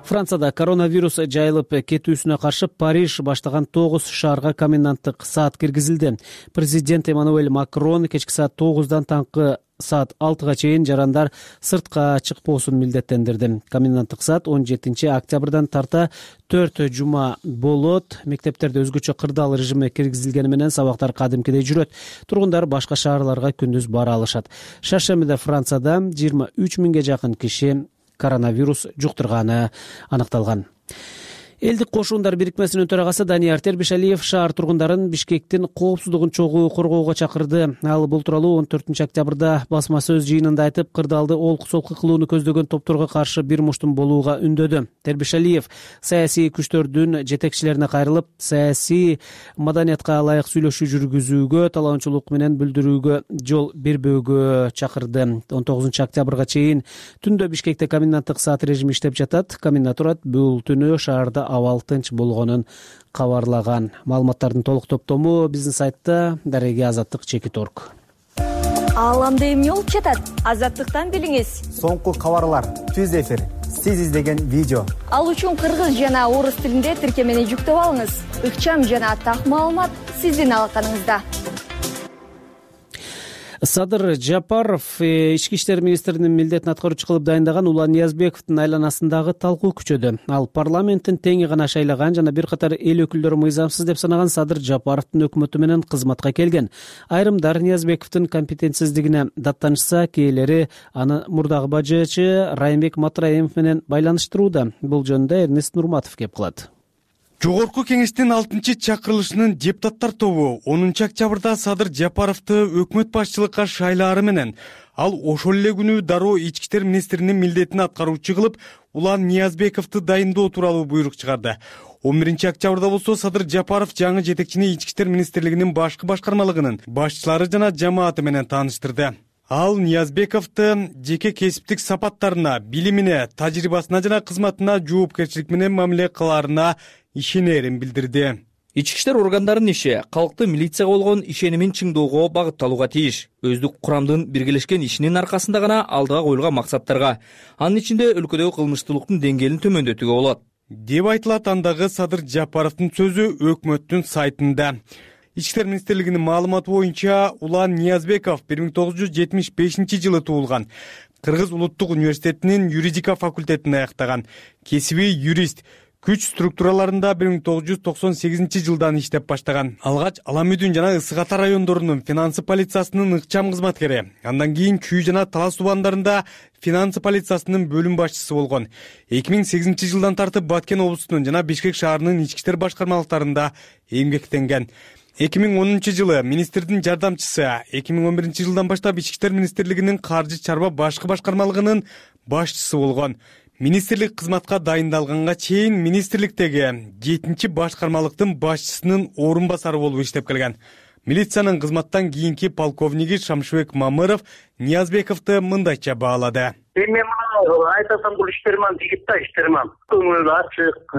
Францияда коронавирус жайылып кетүүсүнө каршы Париж баштаган тогуз шаарга коменданттык саат киргизилди. Президент Эммануэль Макрон кечки саат тогуздан таңкы саат алтыга чейин жарандар сыртка чыкпоосун милдеттендирди. Коменданттык саат он жетинчи октябрдан тарта төрт жума болот. Мектептерде өзгөчө кырдаал режими киргизилгени менен сабактар кадимкидей жүрөт. Тургундар башка шаарларга күндүз бара алышат. Шаршембиде Францияда жыйырма үч миңге жакын киши коронавирус жуктурганы аныкталган. Элдик кошундар бирикмесинин төрагасы Данияр Тербишалиев шаар тургундарын Бишкектин коопсуздугун чогуу коргоого чакырды. Ал бул тууралуу он төртүнчү октябрда басма сөз жыйынында айтып, кырдаалды олку-солку кылууну көздөгөн топторго каршы бир муштум болууга үндөдү. Тербишалиев саясий күчтөрдүн жетекчилерине кайрылып, саясий маданиятка ылайык сүйлөшүү жүргүзүүгө, талаанчылык менен билдирүүгө жол бербөөгө чакырды. он тогузунчу октябрга чейин түндө Бишкекте коменданттык саат режими иштеп жатат. Комендатура бул түнү шаарда абал тынч болгонун кабарлаган. Маалыматтардын толук топтому биздин сайтта дареги азаттык чекит точка орг. Ааламда эмне болуп жатат? Азаттыктан билиңиз. Соңку кабарлар, түз эфир, сиз издеген видео. Ал үчүн кыргыз жана орус тилинде тиркемени жүктөп алыңыз. Ыкчам жана так маалымат сиздин алаканыңызда. Садыр Жапаров ички иштер министринин милдетин аткаруучу кылып дайындаган Улан Ниязбековдун айланасындагы талкуу күчөдү. Ал парламенттин теңи гана шайлаган жана бир катар эл өкүлдөрү мыйзамсыз деп санаган Садыр Жапаровдун өкмөтү менен кызматка келген. Айрымдар Ниязбековдун компетенсиздигине даттанышса, кээелери аны мурдагы бажычы Райымбек Матраимов менен байланыштырууда. Бул жөнүндө Эрнест Нурматов кеп кылат. Жогорку кеңештин алтынчы чакырылышынын депутаттар тобу онунчу октябрда Садыр Жапаровду өкмөт башчылыкка шайлаары менен ал ошол эле күнү дароо ички иштер министринин милдетин аткаруучу кылып Улан Ниязбековду дайындоо тууралуу буйрук чыгарды. он биринчи октябрда болсо Садыр Жапаров жаңы жетекчини ички иштер министрлигинин башкы башкармалыгынын башчылары жана жамааты менен тааныштырды. Ал Ниязбековду жеке кесиптик сапаттарына, билимине, тажрыйбасына жана кызматына жоопкерчилик менен мамиле кылаарына ишенерин билдирди. Ички иштер органдарынын иши калктын милицияга болгон ишенимин чыңдоого багытталууга тийиш. Өздүк курамдын биргелешкен ишинин аркасында гана алдыга коюлган максаттарга, анын ичинде өлкөдөгү кылмыштуулуктун деңгээлин төмөндөтүүгө болот, деп айтылат андагы Садыр Жапаровдун сөзү өкмөттүн сайтында. Ички иштер министрлигинин маалыматы боюнча Улан Ниязбеков бир миң тогуз жүз жетимиш бешинчи жылы туулган. Кыргыз улуттук университетинин юридика факультетин аяктаган. Кесиби юрист. Күч структураларында бир миң тогуз жүз токсон сегизинчи жылдан иштеп баштаган. Алгач Аламүдүн жана Ысык Ата райондорунун финансы полициясынын ыкчам кызматкери. Андан кийин Чүй жана Талас тубандарында финансы полициясынын бөлүм башчысы болгон. эки миң сегизинчи жылдан тартып Баткен облусунун жана Бишкек шаарынын ички иштер башкармалыктарында эмгектенген. эки миң онунчу жылы министрдин жардамчысы, эки миң он биринчи жылдан баштап ички иштер министрлигинин каржы чарба башкы башкармалыгынын башчысы болгон. Министрлик кызматка дайындалганга чейин министрликтеги жетинчи башкармалыктын башчысынын орун басары болуп иштеп келген. Милициянын кызматтан кийинки полковниги Шамшыбек Мамыров Ниязбековду мындайча баалады. Эми мына айтасам, бул иштерман жигит да, иштерман. Көңүлү ачык,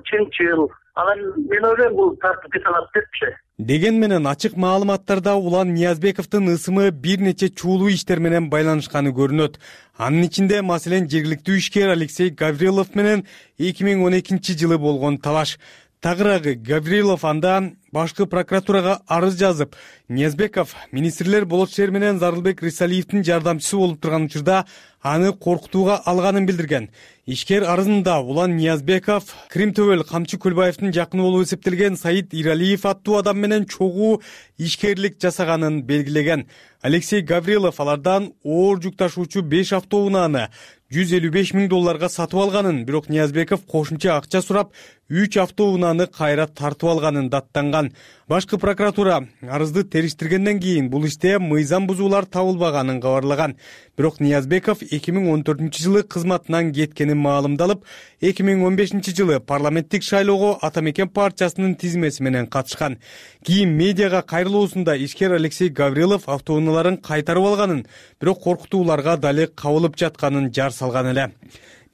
чынчыл. Анан мен ойлойм, бул тартипти санап депчи. Деген менен ачык маалыматтарда Улан Ниязбековдун ысымы бир нече чуулуу иштер менен байланышканы көрүнөт. Анын ичинде маселен жергиликтүү ишкер Алексей Гаврилов менен эки миң он экинчи жылы болгон талаш. Тагыраагы Гаврилов анда башкы прокуратурага арыз жазып, Ниязбеков министрлер Болот шер менен Зарылбек Рисалиевдин жардамчысы болуп турган учурда аны коркутууга алганын билдирген. Ишкер арызында Улан Ниязбеков Крим Төбөл Камчы Көлбаевдин жакыны болуп эсептелген Саид Иралиев аттуу адам менен чогуу ишкерлик жасаганын белгилеген. Алексей Гаврилов алардан оор жүк ташуучу беш автоунааны жүз элүү беш миң долларга сатып алганын, бирок Ниязбеков кошумча акча сурап үч автоунааны кайра тартып алганын даттанган. Башкы прокуратура арызды териштиргенден кийин бул иште мыйзам бузуулар табылбаганын кабарлаган. Бирок Ниязбеков эки миң он төртүнчү жылы кызматынан кеткени маалымдалып, эки миң он бешинчи жылы парламенттик шайлоого Ата Мекен партиясынын тизмеси менен катышкан. Кийин медиага кайрылуусунда ишкер Алексей Гаврилов автоунааларын кайтарып алганын, бирок коркутууларга дали кабылып жатканын жар салган эле.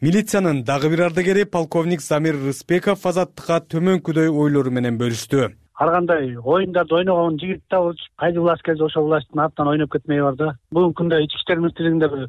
Милициянын дагы бир ардагери полковник Замир Рыспеков Азаттыкка төмөнкүдөй ойлору менен бөлүштү. Ар кандай оюндарды ойногон жигит табылып, кайсы власть келсе ошол власттын артынан ойноп кетмей бар да. Бүгүнкү күндө ички иштер министрлигинде бир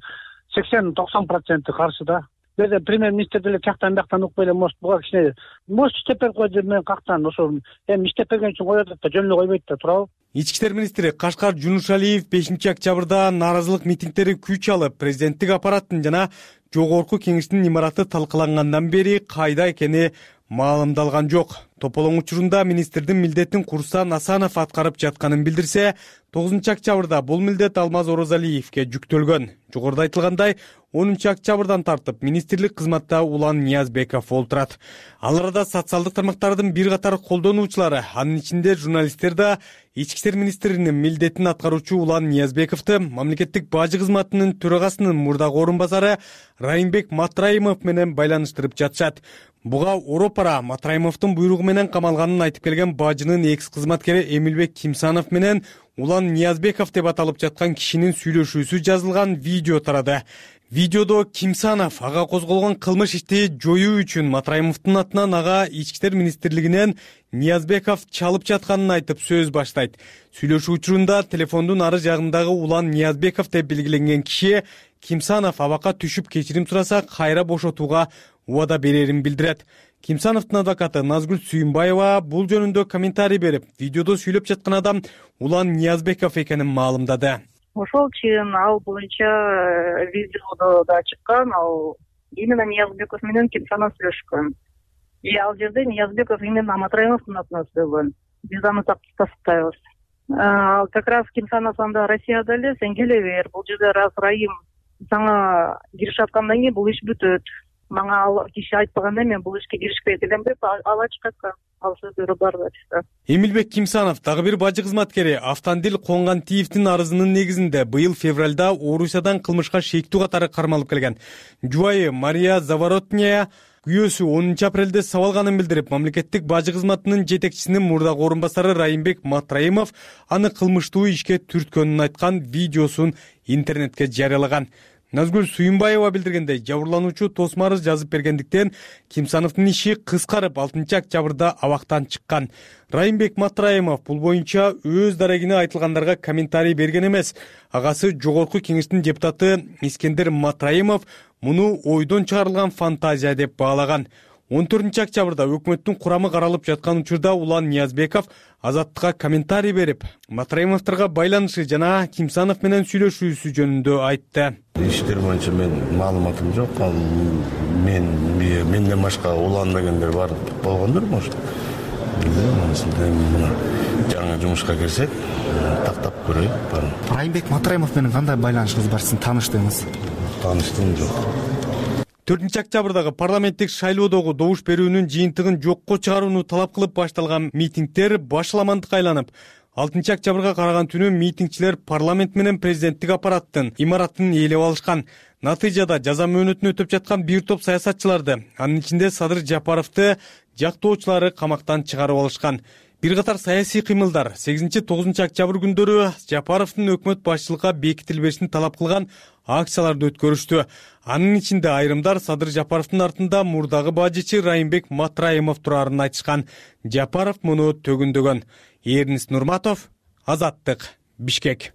сексен токсон проценти каршы да. Бизде премьер-министр деле жактан бияктан укпай эле, может, буга кичине может иштеп берип койду деп мен кактан ошол эми иштеп берген үчүн коет да, жөн эле койбойт да, туурабы? Ички иштер министри Кашкар Жунушалиев бешинчи октябрда нааразылык митингдери күч алып, президенттик аппараттын жана жогорку кеңештин имараты талкалангандан бери кайда экени маалымдалган жок. Тополоң учурунда министрдин милдетин Курсан Асанов аткарып жатканын билдирсе, тогузунчу октябрда бул милдет Алмаз Орозалиевке жүктөлгөн. Жогоруда айтылгандай, онунчу октябрдан тартып министрлик кызматта Улан Ниязбеков олтурат. Ал арада социалдык тармактардын бир катар колдонуучулары, анын ичинде журналисттер да ички иштер министринин милдетин аткаруучу Улан Ниязбековду мамлекеттик бажы кызматынын төрагасынын мурдагы орун басары Райымбек Матраимов менен байланыштырып жатышат. Буга оропара Матраимовдун буйругу менен камалганын айтып келген бажынын экс кызматкери Эмилбек Кимсанов менен Улан Ниязбеков деп аталып жаткан кишинин сүйлөшүүсү жазылган видео тарады. Видеодо Кимсанов ага козголгон кылмыш ишти жоюу үчүн Матраимовдун атынан ага ички иштер министрлигинен Ниязбеков чалып жатканын айтып сөз баштайт. Сүйлөшүү учурунда телефондун ары жагындагы Улан Ниязбеков деп белгиленген киши Кимсанов абакка түшүп кечирим сураса кайра бошотууга убада берерин билдирет. Кимсановдун адвокаты Назгүл Сүйүнбаева бул жөнүндө комментарий берип, видеодо сүйлөп жаткан адам Улан Ниязбеков экенин маалымдады. Ошол чын ал боюнча видеодо да чыккан, ал именно Ниязбеков менен Кимсанов сүйлөшкөн. И ал жерде Ниязбеков именно Матраимовдун атынан сөйлөгөн. Биз аны тастыктайбыз. Ал как раз Кимсанов анда Россияда эле, сен келе бер, бул жерде раз Райым сага киришип аткандан кийин бул иш бүтөт. Мага ал киши айтпаганда мен бул ишке киришпей дегем деп ал ачык айткан. Ал сөздөрү бар да. Эмилбек Кимсанов дагы бир бажы кызматкери Автандил Конгантиевдин арызынын негизинде быйыл февралда Орусиядан кылмышка шектүү катары кармалып келген. Жубайы Мария Заворотняя күйөөсү онунчу апрелде сабалганын билдирип, мамлекеттик бажы кызматынын жетекчисинин мурдагы орун басары Райымбек Матраимов аны кылмыштуу ишке түрткөнүн айткан видеосун интернетке жарыялаган. Назгүл Сүйүнбаева билдиргендей, жабырлануучу тосмо арыз жазып бергендиктен Кимсановдун иши кыскарып алтынчы октябрда абактан чыккан. Райымбек Матраимов бул боюнча өз дарегине айтылгандарга комментарий берген эмес. Агасы жогорку кеңештин депутаты Искендер Матраимов муну ойдон чыгарылган фантазия деп баалаган. он төртүнчү октябрда өкмөттүн курамы каралып жаткан учурда Улан Ниязбеков Азаттыкка комментарий берип, Матраимовдорго байланышы жана Кимсанов менен сүйлөшүүсү жөнүндө айтты. Иштер боюнча мен маалыматым жок. Ал мен менден башка уланбагендер бар болгондур, может. Мына жаңы жумушка кирсек, тактап көрөйүк. Райымбек Матраимов менен кандай байланышыңыз бар, сиздин тааныштыгыңыз? Тааныштыгым жок. төртүнчү октябрдагы парламенттик шайлоодогу добуш берүүнүн жыйынтыгын жокко чыгарууну талап кылып башталган митингдер башаламандыкка айланып, алтынчы октябрга караган түнү митингчилер парламент менен президенттик аппараттын имаратын ээлеп алышкан. Натыйжада жаза мөөнөтүн өтөп жаткан бир топ саясатчыларды, анын ичинде Садыр Жапаровду жактоочулары камактан чыгарып алышкан. Бир катар саясий кыймылдар сегизинчи тогузунчу октябрь күндөрү Жапаровдун өкмөт башчылыкка бекитилбешин талап кылган акцияларды өткөрүштү. Анын ичинде айрымдар Садыр Жапаровдун артында мурдагы бажычы Райымбек Матраимов турарын айтышкан. Жапаров муну төгүндөгөн. Эрнис Нурматов, Азаттык, Бишкек.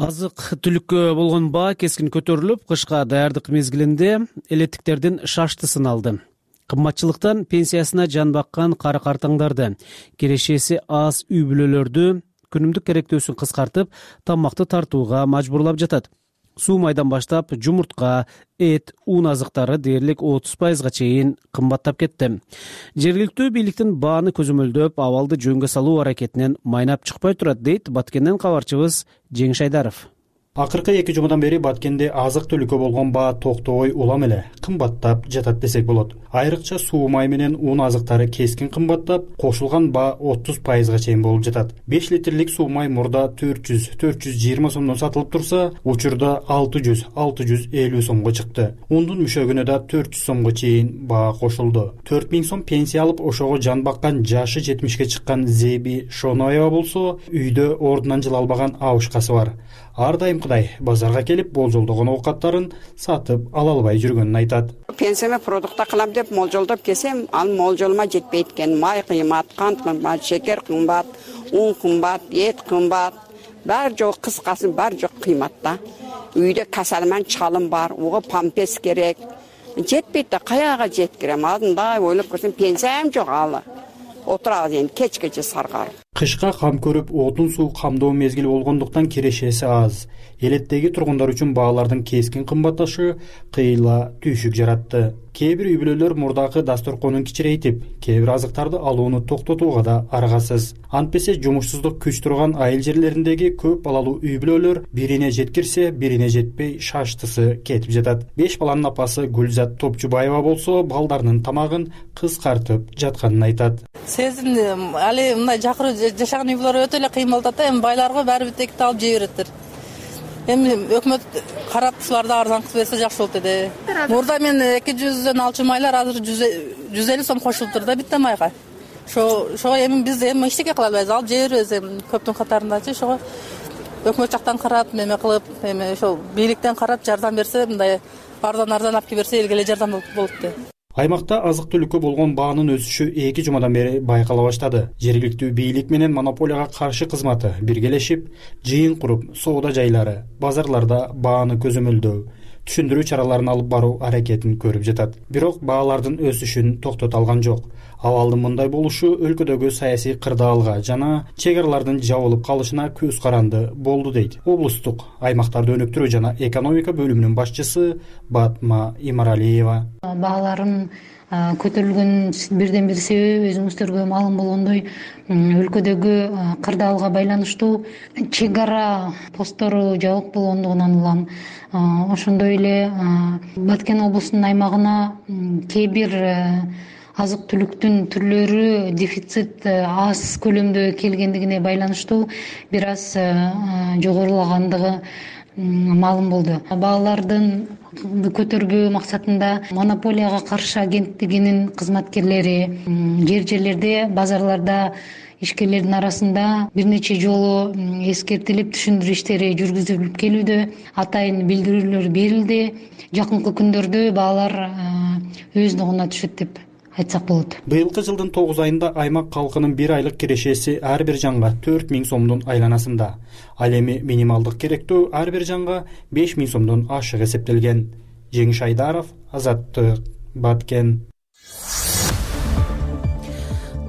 Азык түлүккө болгон баа кескин көтөрүлүп, кышка даярдык мезгилинде элеттиктердин шаштысын алды. Кымбатчылыктан пенсиясына жан баккан кары картаңдарды, кирешеси аз үй бүлөлөрдү күнүмдүк керектөөсүн кыскартып, тамакты тартууга мажбурлап жатат. Суу майдан баштап жумуртка, эт, ун азыктары дээрлик отуз пайызга чейин кымбаттап кетти. Жергиликтүү бийликтин бааны көзөмөлдөп, абалды жөнгө салуу аракетинен майнап чыкпай турат, дейт Баткенден кабарчыбыз Жеңиш Айдаров. Акыркы эки жумадан бери Баткенде азык түлүккө болгон баа токтобой улам эле кымбаттап жатат десек болот. Айрыкча суу май менен ун азыктары кескин кымбаттап, кошулган баа отуз пайызга чейин болуп жатат. беш литрлик суу май мурда төрт жүз төрт жүз жыйырма сомдон сатылып турса, учурда алты жүз алты жүз элүү сомго чыкты. Ундун мүшөгүнө да төрт жүз сомго чейин баа кошулду. төрт миң сом пенсия алып, ошого жан баккан жашы жетимишке чыккан Зеби Шоноева болсо, үйдө ордунан жыла албаган абышкасы бар. Ар дайым кудай базарга келип болжолдогон оокаттарын сатып ала албай жүргөнүн айтат. Пенсияме продукта кылам деп молжолдоп келсем, ал молжолума жетпейт экен. Май кыймат, кант кымбат, шекер кымбат, ун кымбат, эт кымбат. Бар жок, кыскасы бар жок кыйматта. Үйдө касалман чалым бар, уга пампес керек. Жетпейт да, каяга жеткирем? Алдында ойлоп көрсөм, пенсиям жок алы. Отурабыз эми кечкече саргарып. Кышка кам көрүп, отун суу камдоо мезгили болгондуктан кирешеси аз. Элеттеги тургундар үчүн баалардын кескин кымбатташы кыйла түйшүк жаратты. Кээ бир үй бүлөлөр мурдагы дасторконун кичирейтип, кээ бир азыктарды алууну токтотууга да аргасыз. Антпесе жумушсуздук күч турган айыл жерлериндеги көп балалуу үй бүлөлөр бирине жеткирсе, бирине жетпей шаштысы кетип жатат. Беш баланын апасы Гүлзат Топчубаева болсо, балдарынын тамагын кыскартып жатканын айтат. Сезим али мындай жакыруу жашаган үй бүлөлөр өтө эле кыйын болуп атат. Эми байларга баары бир текти алып жей береттир. Эми өкмөт карап ушуларды арзан кылып берсе жакшы болот эди. Мурда мен эки жүздөн алчу майлар азыр жүз элүү сом кошулуптур да битте майга. Ошо ошо эми биз эми эчтеке кыла албайбыз, алып жей беребиз эми көптүн катарындачы. Ошого өкмөт жактан карап, неме кылып, эми ошол бийликтен карап жардам берсе, мындай арзан арзан алып келип берсе элге эле жардам болот да. Аймакта азык-түлүккө болгон баанын өсүшү эки жумадан бери байкала баштады. Жергиликтүү бийлик менен монополияга каршы кызматы биргелешип, жыйын куруп, соода жайлары, базарларда бааны көзөмөлдөө, түшүндүрүү чараларын алып баруу аракетин көрүп жатат. Бирок баалардын өсүшүн токтото алган жок. Абалдын мындай болушу өлкөдөгү саясий кырдаалга жана чек аралардын жабылып калышына көз каранды болду, дейт облустук аймактарды өнүктүрүү жана экономика бөлүмүнүн башчысы Батма Имаралиева. Бааларын көтөрүлгөн бирден бир себеби өзүңүздөргө маалым болгондой, өлкөдөгү кырдаалга байланыштуу чек ара посттору жабык болгондугунан улам. Ошондой эле Баткен облусунун аймагына кээ бир азык-түлүктүн түрлөрү дефицит аз көлөмдө келгендигине байланыштуу бир аз жогорулагандыгы маалым болду. Баалардын көтөрбөө максатында монополияга каршы агенттигинин кызматкерлери жер жерлерде, базарларда ишкерлердин арасында бир нече жолу эскертилип, түшүндүрүү иштери жүргүзүлүп келүүдө, атайын билдирүүлөр берилди. Жакынкы күндөрдө баалар өз ногуна түшөт деп айтсак болот. Быйылкы жылдын тогуз айында аймак калкынын бир айлык кирешеси ар бир жанга төрт миң сомдун айланасында. Ал эми минималдык керектөө ар бир жанга беш миң сомдон ашык эсептелген. Жеңиш Айдаров, Азаттык, Баткен.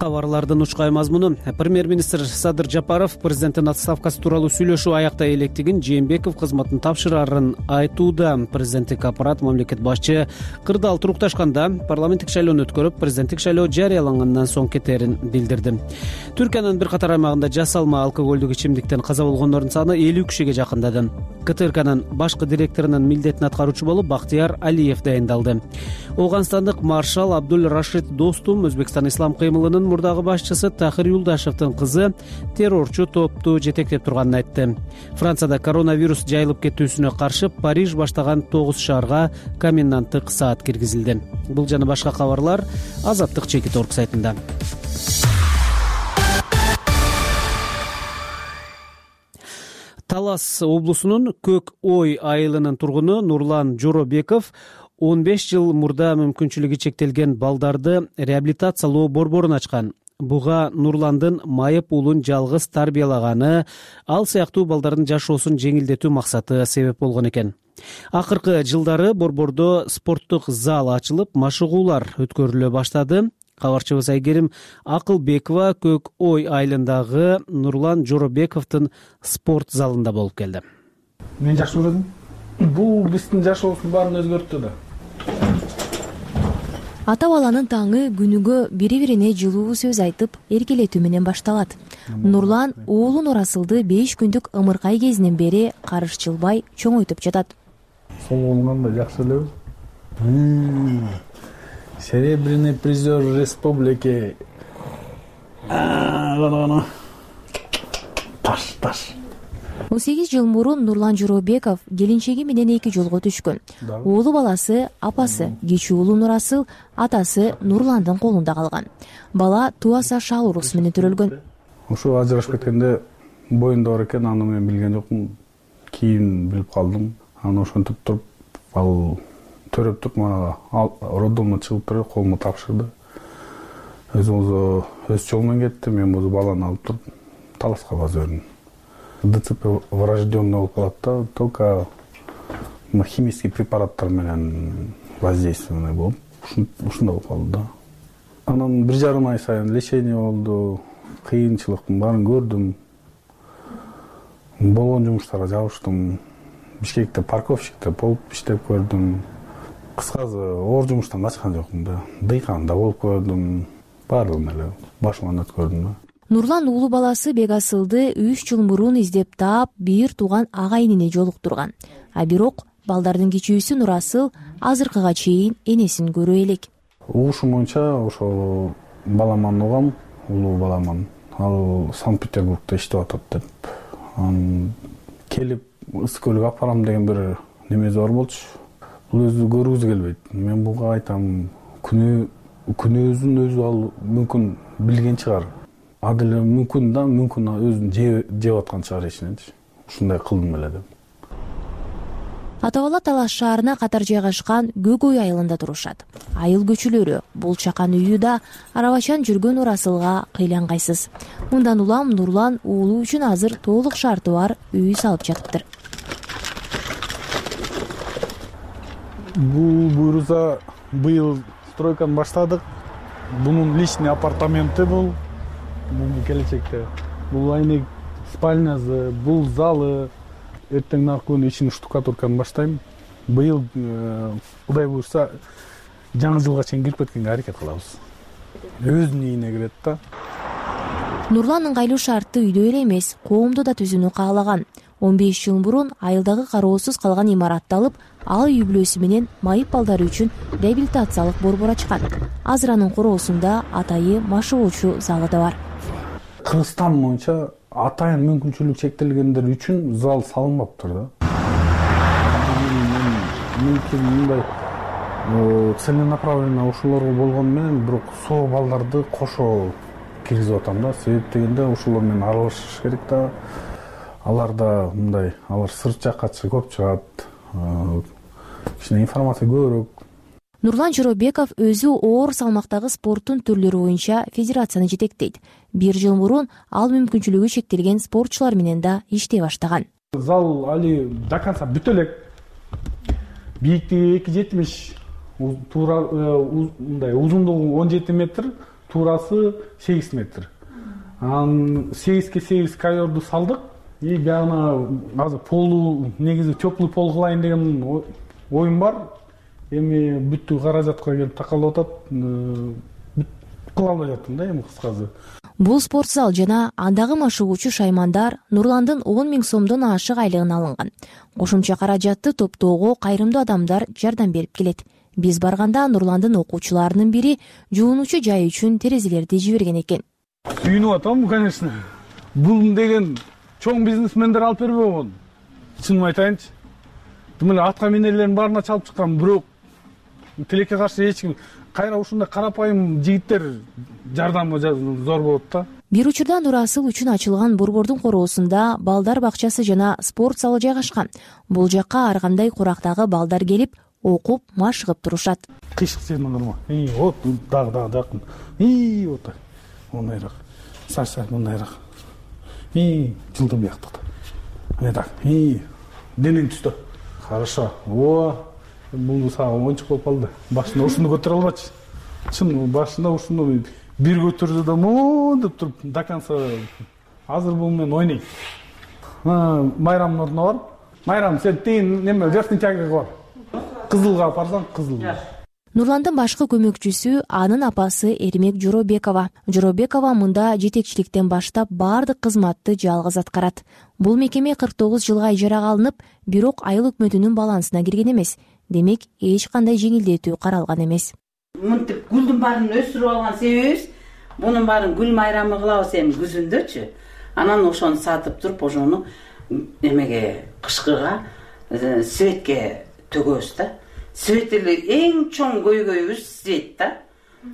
Кабарлардын учкай мазмуну. Премьер-министр Садыр Жапаров президенттин отставкасы тууралуу сүйлөшүү аяктай электигин Жээнбеков кызматын тапшырарын айтууда. Президенттик аппарат мамлекет башчы кырдаал турукташканда парламенттик шайлоону өткөрүп, президенттик шайлоо жарыялангандан соң кетерин билдирди. Түркиянын бир катар аймагында жасалма алкоголдук ичимдиктен каза болгондордун саны элүү кишиге жакындады. КТРКнын башкы директорунун милдетин аткаруучу болуп Бактияр Алиев дайындалды. Ооганстандык маршал Абдул Рашид Достум Өзбекстан ислам кыймылынын мурдагы башчысы Тахир Юлдашевдин кызы террорчу топту жетектеп турганын айтты. Францияда коронавирус жайылып кетүүсүнө каршы Париж баштаган тогуз шаарга коменданттык саат киргизилди. Бул жана башка кабарлар Азаттык чекит орг сайтында. Талас облусунун Көк Ой айылынын тургуну Нурлан Жоробеков он беш жыл мурда мүмкүнчүлүгү чектелген балдарды реабилитациялоо борборун ачкан. Буга Нурландын майып уулун жалгыз тарбиялаганы, ал сыяктуу балдардын жашоосун жеңилдетүү максаты себеп болгон экен. Акыркы жылдары борбордо спорттук зал ачылып, машыгуулар өткөрүлө баштады. Кабарчыбыз Айгерим Акылбекова Көк Ой айылындагы Нурлан Жоробековдун спорт залында болуп келди. Мен жакшы көрдүм. бул биздин жашообуздун баарын өзгөрттү да. Ата баланын таңы күнүгө бири бирине жылуу сөз айтып эркелетүү менен башталат. Нурлан уулу Нурасылды беш күндүк ымыркай кезинен бери карышчылбай чоңойтуп жатат. Солонгондо жакшы элеби? Серебряный призер республики. Гана-гана. Таш, таш. он сегиз жыл мурун Нурлан Жоробеков келинчеги менен эки жолго түшкөн. Уулу баласы апасы, кичүү уулу Нурасыл атасы Нурландын колунда калган. Бала туаса шал урус менен төрөлгөн. Ошо ажырашып кеткенде боюнда бар экен, аны мен билген жокмун. Кийин билип калдым. Аны ошентип туруп, ал төрөп туруп мага роддомдон чыгып туруп колума тапшырды. Өзү өз жолу менен кетти, мен бул баланы алып туруп Таласка база бердим. ДЦП врожденный болуп калат да, только химический препараттар менен воздействие болуп, ушундай болуп калды да. Анан бир жарым ай сайын лечение болду, кыйынчылыктын баарын көрдүм. Болгон жумуштарга жабыштым. Бишкекте парковщикте болуп иштеп көрдүм. Кыскасы оор жумуштан качкан жокмун да. Дыйканда болуп көрдүм. Баардыгын эле башыман өткөрдүм да. Нурлан уулу баласы Бегасылды үч жыл мурун издеп таап, бир тууган агайынына жолуктурган. А бирок балдардын кичүүсү Нурасыл азыркыга чейин энесин көрө элек. Угушум боюнча ошо баламан угам, улуу баламан. Ал Санкт-Петербургда иштеп атат деп. Анан келип ысык көлгө алып барам деген бир немеси бар болчу. Бул өзү көргүзү келбейт. Мен буга айтам, күнөө күнөөзүн өзү ал мүмкүн билген чыгар. Адыл мүмкүн да, мүмкүн өзүн жеп аткан чыгар ичиненчи. Ушундай кылдым эле деп. Ата бала Талас шаарына катар жайгашкан Көгөй айылында турушат. Айыл көчөлөрү, бул чакан үйү арабачан жүргөн Нурасылга кыйлангайсыз. Мындан улам Нурлан уулу үчүн азыр толук шарты бар үй салып жатыптыр. Бул буйруса быйыл стройканы баштадык. Бунун личный апартаменти бул. Бул келечекте. Бул айнек спальнясы, бул залы. Эртең наркын ичин штукатурканы баштайм. Быйыл Кудай буйрса жаңы жылга чейин кирип кеткенге аракет кылабыз. Өзүнүн ийине кирет да. Нурлан ыңгайлуу шартты үйдө эле эмес, коомдо да түзүүнү каалаган. он беш жыл мурун айылдагы кароосуз калган имаратты алып, ал үй бүлөсү менен майып балдары үчүн реабилитациялык борбор ачкан. Азыр анын короосунда атайы машыгуучу залы да бар. Кыргызстан боюнча атайын мүмкүнчүлүк чектелгендер үчүн зал салынбаптыр да. Мүмкүн мындай целенаправленно ушуларга болгону менен бирок соо балдарды кошо киргизип атам да. Себеп дегенде ушулар менен аралашыш керек да. Алар да мындай, алар сырт жакка көп чыгат. Кичине информация көбүрөөк. Нурлан Жоробеков өзү оор салмактагы спорттун түрлөрү боюнча федерацияны жетектейт. Бир жыл мурун ал мүмкүнчүлүгү чектелген спортчулар менен да иштей баштаган. Зал али до конца бүтө элек. Бийиктиги эки жүз жетимиш, туура мындай узундугу он жети метр, туурасы сегиз метр. Анан сегизге сегиз ковёрду салдык. И бягына азыр полу негизи теплый пол кылайын деген оюм бар. Эми бүттү каражатка келип такалып атат. Кыла албай жаттым да эми кыскасы. Бул спорт зал жана андагы машыгуучу шаймандар Нурландын он миң сомдон ашык айлыгын алынган. Кошумча каражатты топтоого кайрымдуу адамдар жардам берип келет. Биз барганда Нурландын окуучуларынын бири жуунуучу жай үчүн терезелерди жиберген экен. Сүйүнүп атам, конечно. Бул деген чоң бизнесмендер алып бербей болгон. Чынын айтайынчы. Тим эле атка минерлердин баарына чалып чыккан, бирок тилекке каршы эч ким кайра ушундай карапайым жигиттер жардамы зор болот да. Бир учурда Нурасыл үчүн ачылган борбордун короосунда балдар бакчасы жана спорт залы жайгашкан. Бул жакка ар кандай курактагы балдар келип, окуп, машыгып турушат. Кыйшык жерден кырма. И вот дагы дагы жакын. И вот так. Мондайраак. Сар-сар мондайраак. И жылдам бияктыкта. Ане так. И денең түстө. Хорошо. О, бул сага оңчук болуп калды. Башында ушуну көтөрө албачы. Чын башында ушуну бир көтөрдү да мондоп туруп до конца азыр бул менен ойнойт. Майрамдын ордуна барып, Майрам, сен тыйын неме верхний тягага бар. Кызылга апарсаң, кызыл. Нурландын башкы көмөкчүсү анын апасы Эрмек Жоробекова. Жоробекова мында жетекчиликтен баштап баардык кызматты жалгыз аткарат. Бул мекеме кырк тогуз жылга ижарага алынып, бирок айыл өкмөтүнүн балансына кирген эмес. Демек, эч кандай жеңилдетүү каралган эмес. Мынтип гүлдүн баарын өстүрүп алган себебибиз мунун баарын гүл майрамы кылабыз эми күзүндөчү. Анан ошону сатып туруп, ошону эмеге кышкыга светке төгөбүз да. Свет эле эң чоң көйгөйүбүз свет да.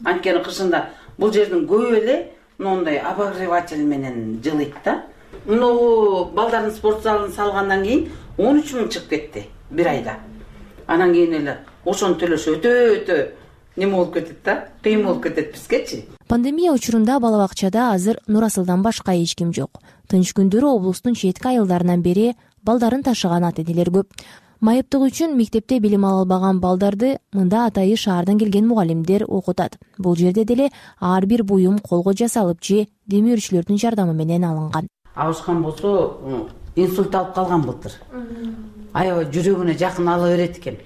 Анткени кышында бул жердин көбү эле моундай обогреватель менен жылыйт да. Муну балдардын спорт залын салгандан кийин он үч миң чыгып кетти бир айда. Анан кийин эле ошону төлөш өтө өтө неме болуп кетет да, кыйын болуп кетет бизгечи. Пандемия учурунда бала бакчада азыр Нурасылдан башка эч ким жок. Тынч күндөрү облустун четки айылдарынан бери балдарын ташыган ата-энелер көп. Майыптык үчүн мектепте билим ала албаган балдарды мында атайы шаардан келген мугалимдер окутат. Бул жерде деле ар бир буюм колго жасалып же демөөрчүлөрдүн жардамы менен алынган. Абышкан болсо инсульт алып калган былтыр. Аябай жүрөгүнө жакын ала берет экен.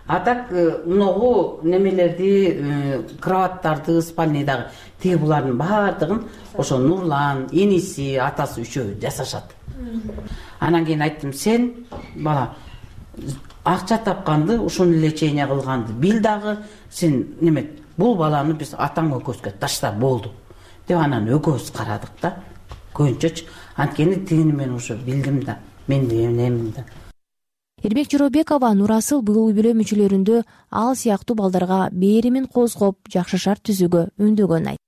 А так многу немелерди, кроваттарды, спальныйдагы тиги булардын баардыгын ошо Нурлан, иниси, атасы үчөө жасашат. Анан кийин айттым, сен бала акча тапканды, ушуну лечение кылганды бил дагы, сен неме бул баланы биз атаң экөөбүзгө ташта болду деп анан экөөбүз карадык да. Көбүнчөчү анткени тигини мен ушу билдим да, мен эмнемин да. Эрмек Жоробекова Нурасыл бул үй-бүлө мүчөлөрүндө ал сыяктуу балдарга беримин козгоп, жакшы шарт түзүүгө үндөгөн айт.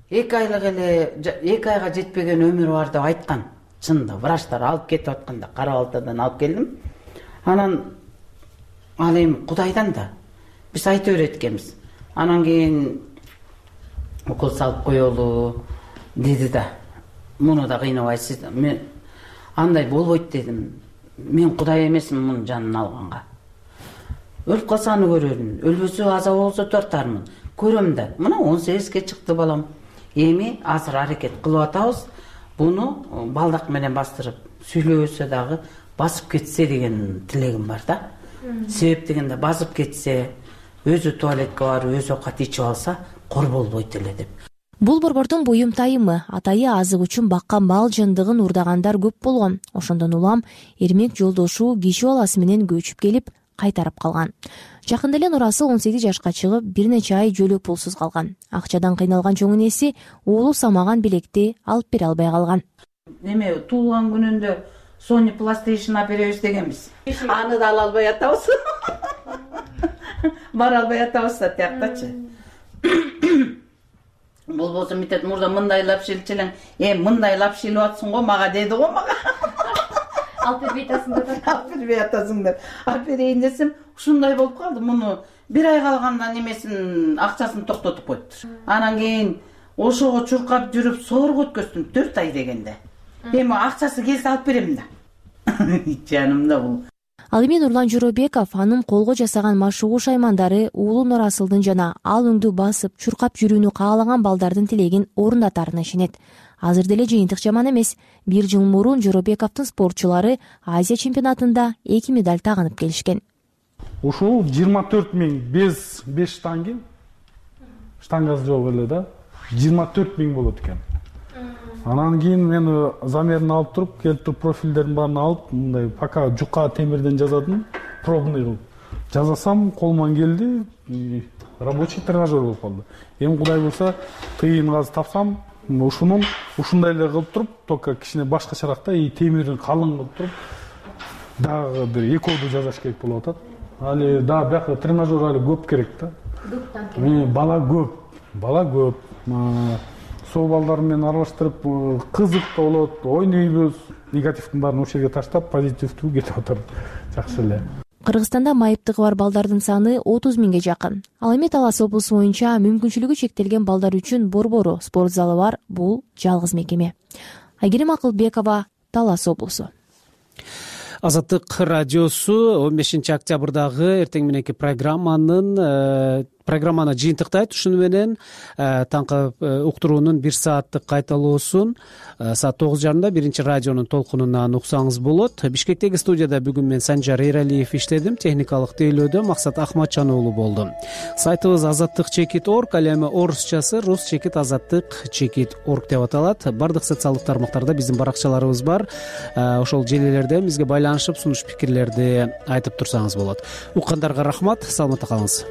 Эки айлык эле, эки айга жетпеген өмүр бар деп айткан. Чынында врачтар алып кетип атканда Кара-Балтадан алып келдим. Анан ал эми Кудайдан да биз айта берет экенбиз. Анан кийин укол салып коелу деди да. Муну да кыйнабайсыз. Мен андай болбойт дедим. Мен Кудай эмесмин мунун жанын алганга. Өлүп калса аны көрөрмүн, өлбөсө аза болсо тартармын. Көрөм да. Мына он сегизге чыкты балам. Эми азыр аракет кылып атабыз. Буну балдак менен бастырып, сүйлөбөсө дагы басып кетсе деген тилегим бар да. Себеп дегенде басып кетсе, өзү туалетке барып, өзү оокат ичип алса, кор болбойт эле деп. Бул борбордун буюм тайымы, атайы азык үчүн баккан мал жындыгын урдагандар көп болгон. Ошондон улам Эрмек жолдошу киши баласы менен көчүп келип, кайтарып калган. Жакында эле Нурасыл он сегиз жашка чыгып, бир нече ай жөлөк пулсуз калган. Акчадан кыйналган чоң энеси уулу самаган белекти алып бере албай калган. Неме туулган күнүндө Sony PlayStation алып беребиз дегенбиз. Аны да ала албай атабыз. Бара албай атабыз да тияктачы. Болбосо митет мурда мындайлап шилчелең, э мындайлап шилип атсың го мага деди го мага. Алып бербей атасың деп. Алып бербей атасың деп. Алып берейин десем, ушундай болуп калды. Муну бир ай калганда немесин акчасын токтотуп койтур. Анан кийин ошого чуркап жүрүп соорго өткөздүм төрт ай дегенде. Эми акчасы келсе алып берем да. Жанымда бул. Ал эми Нурлан Жоробеков анын колго жасаган машыгуу шаймандары уулу Нурасылдын жана ал өңдү басып, чуркап жүрүүнү каалаган балдардын тилегин орундатарына ишенет. Азыр деле жыйынтык жаман эмес. Бир жыл мурун Жоробековдун спортчулары Азия чемпионатында эки медаль тагынып келишкен. Ушул жыйырма төрт миң без беш штанги, штангасы жок эле да, жыйырма төрт миң болот экен. Анан кийин мен замерин алып туруп, келип туруп профилдерин баарын алып, мындай пока жука темирден жазадым, пробный кылып. Жазасам, колуман келди, рабочий тренажер болуп калды. Эми Кудай буйрса, тыйын газ тапсам, ушунун ушундай эле кылып туруп, только кичине башкачараак да, и темирин калың кылып туруп, дагы бир экөөдү жасаш керек болуп атат. Али да бияка тренажер али көп керек да. Бала көп, бала көп. Сол балдар менен аралаштырып, кызык да болот, ойнойбуз. Негативдин баарын ошол жерге таштап, позитивдүү кетип атат. Жакшы эле. Кыргызстанда майыптыгы бар балдардын саны отуз миңге жакын. Ал эми Талас облусу боюнча мүмкүнчүлүгү чектелген балдар үчүн борбору спорт залы бар бул жалгыз мекеме. Айгерим Акылбекова, Талас облусу. Азаттык радиосу он бешинчи октябрдагы эртең мененки программанын программаны жыйынтыктайт. Ушуну менен таңкы уктуруунун бир сааттык кайталоосун саат тогуз жарымда биринчи радионун толкунунан уксаңыз болот. Бишкектеги студияда бүгүн мен Санжар Эралиев иштедим. Техникалык тейлөөдө Максат Ахматжан уулу болду. Сайтыбыз азаттык чекит точка орг, ал эми орусчасы рус чекит азаттык чекит точка орг деп аталат. Бардык социалдык тармактарда биздин баракчаларыбыз бар. Ошол желилерде бизге байланышып, сунуш пикирлерди айтып турсаңыз болот. Уккандарга рахмат, саламатта калыңыз.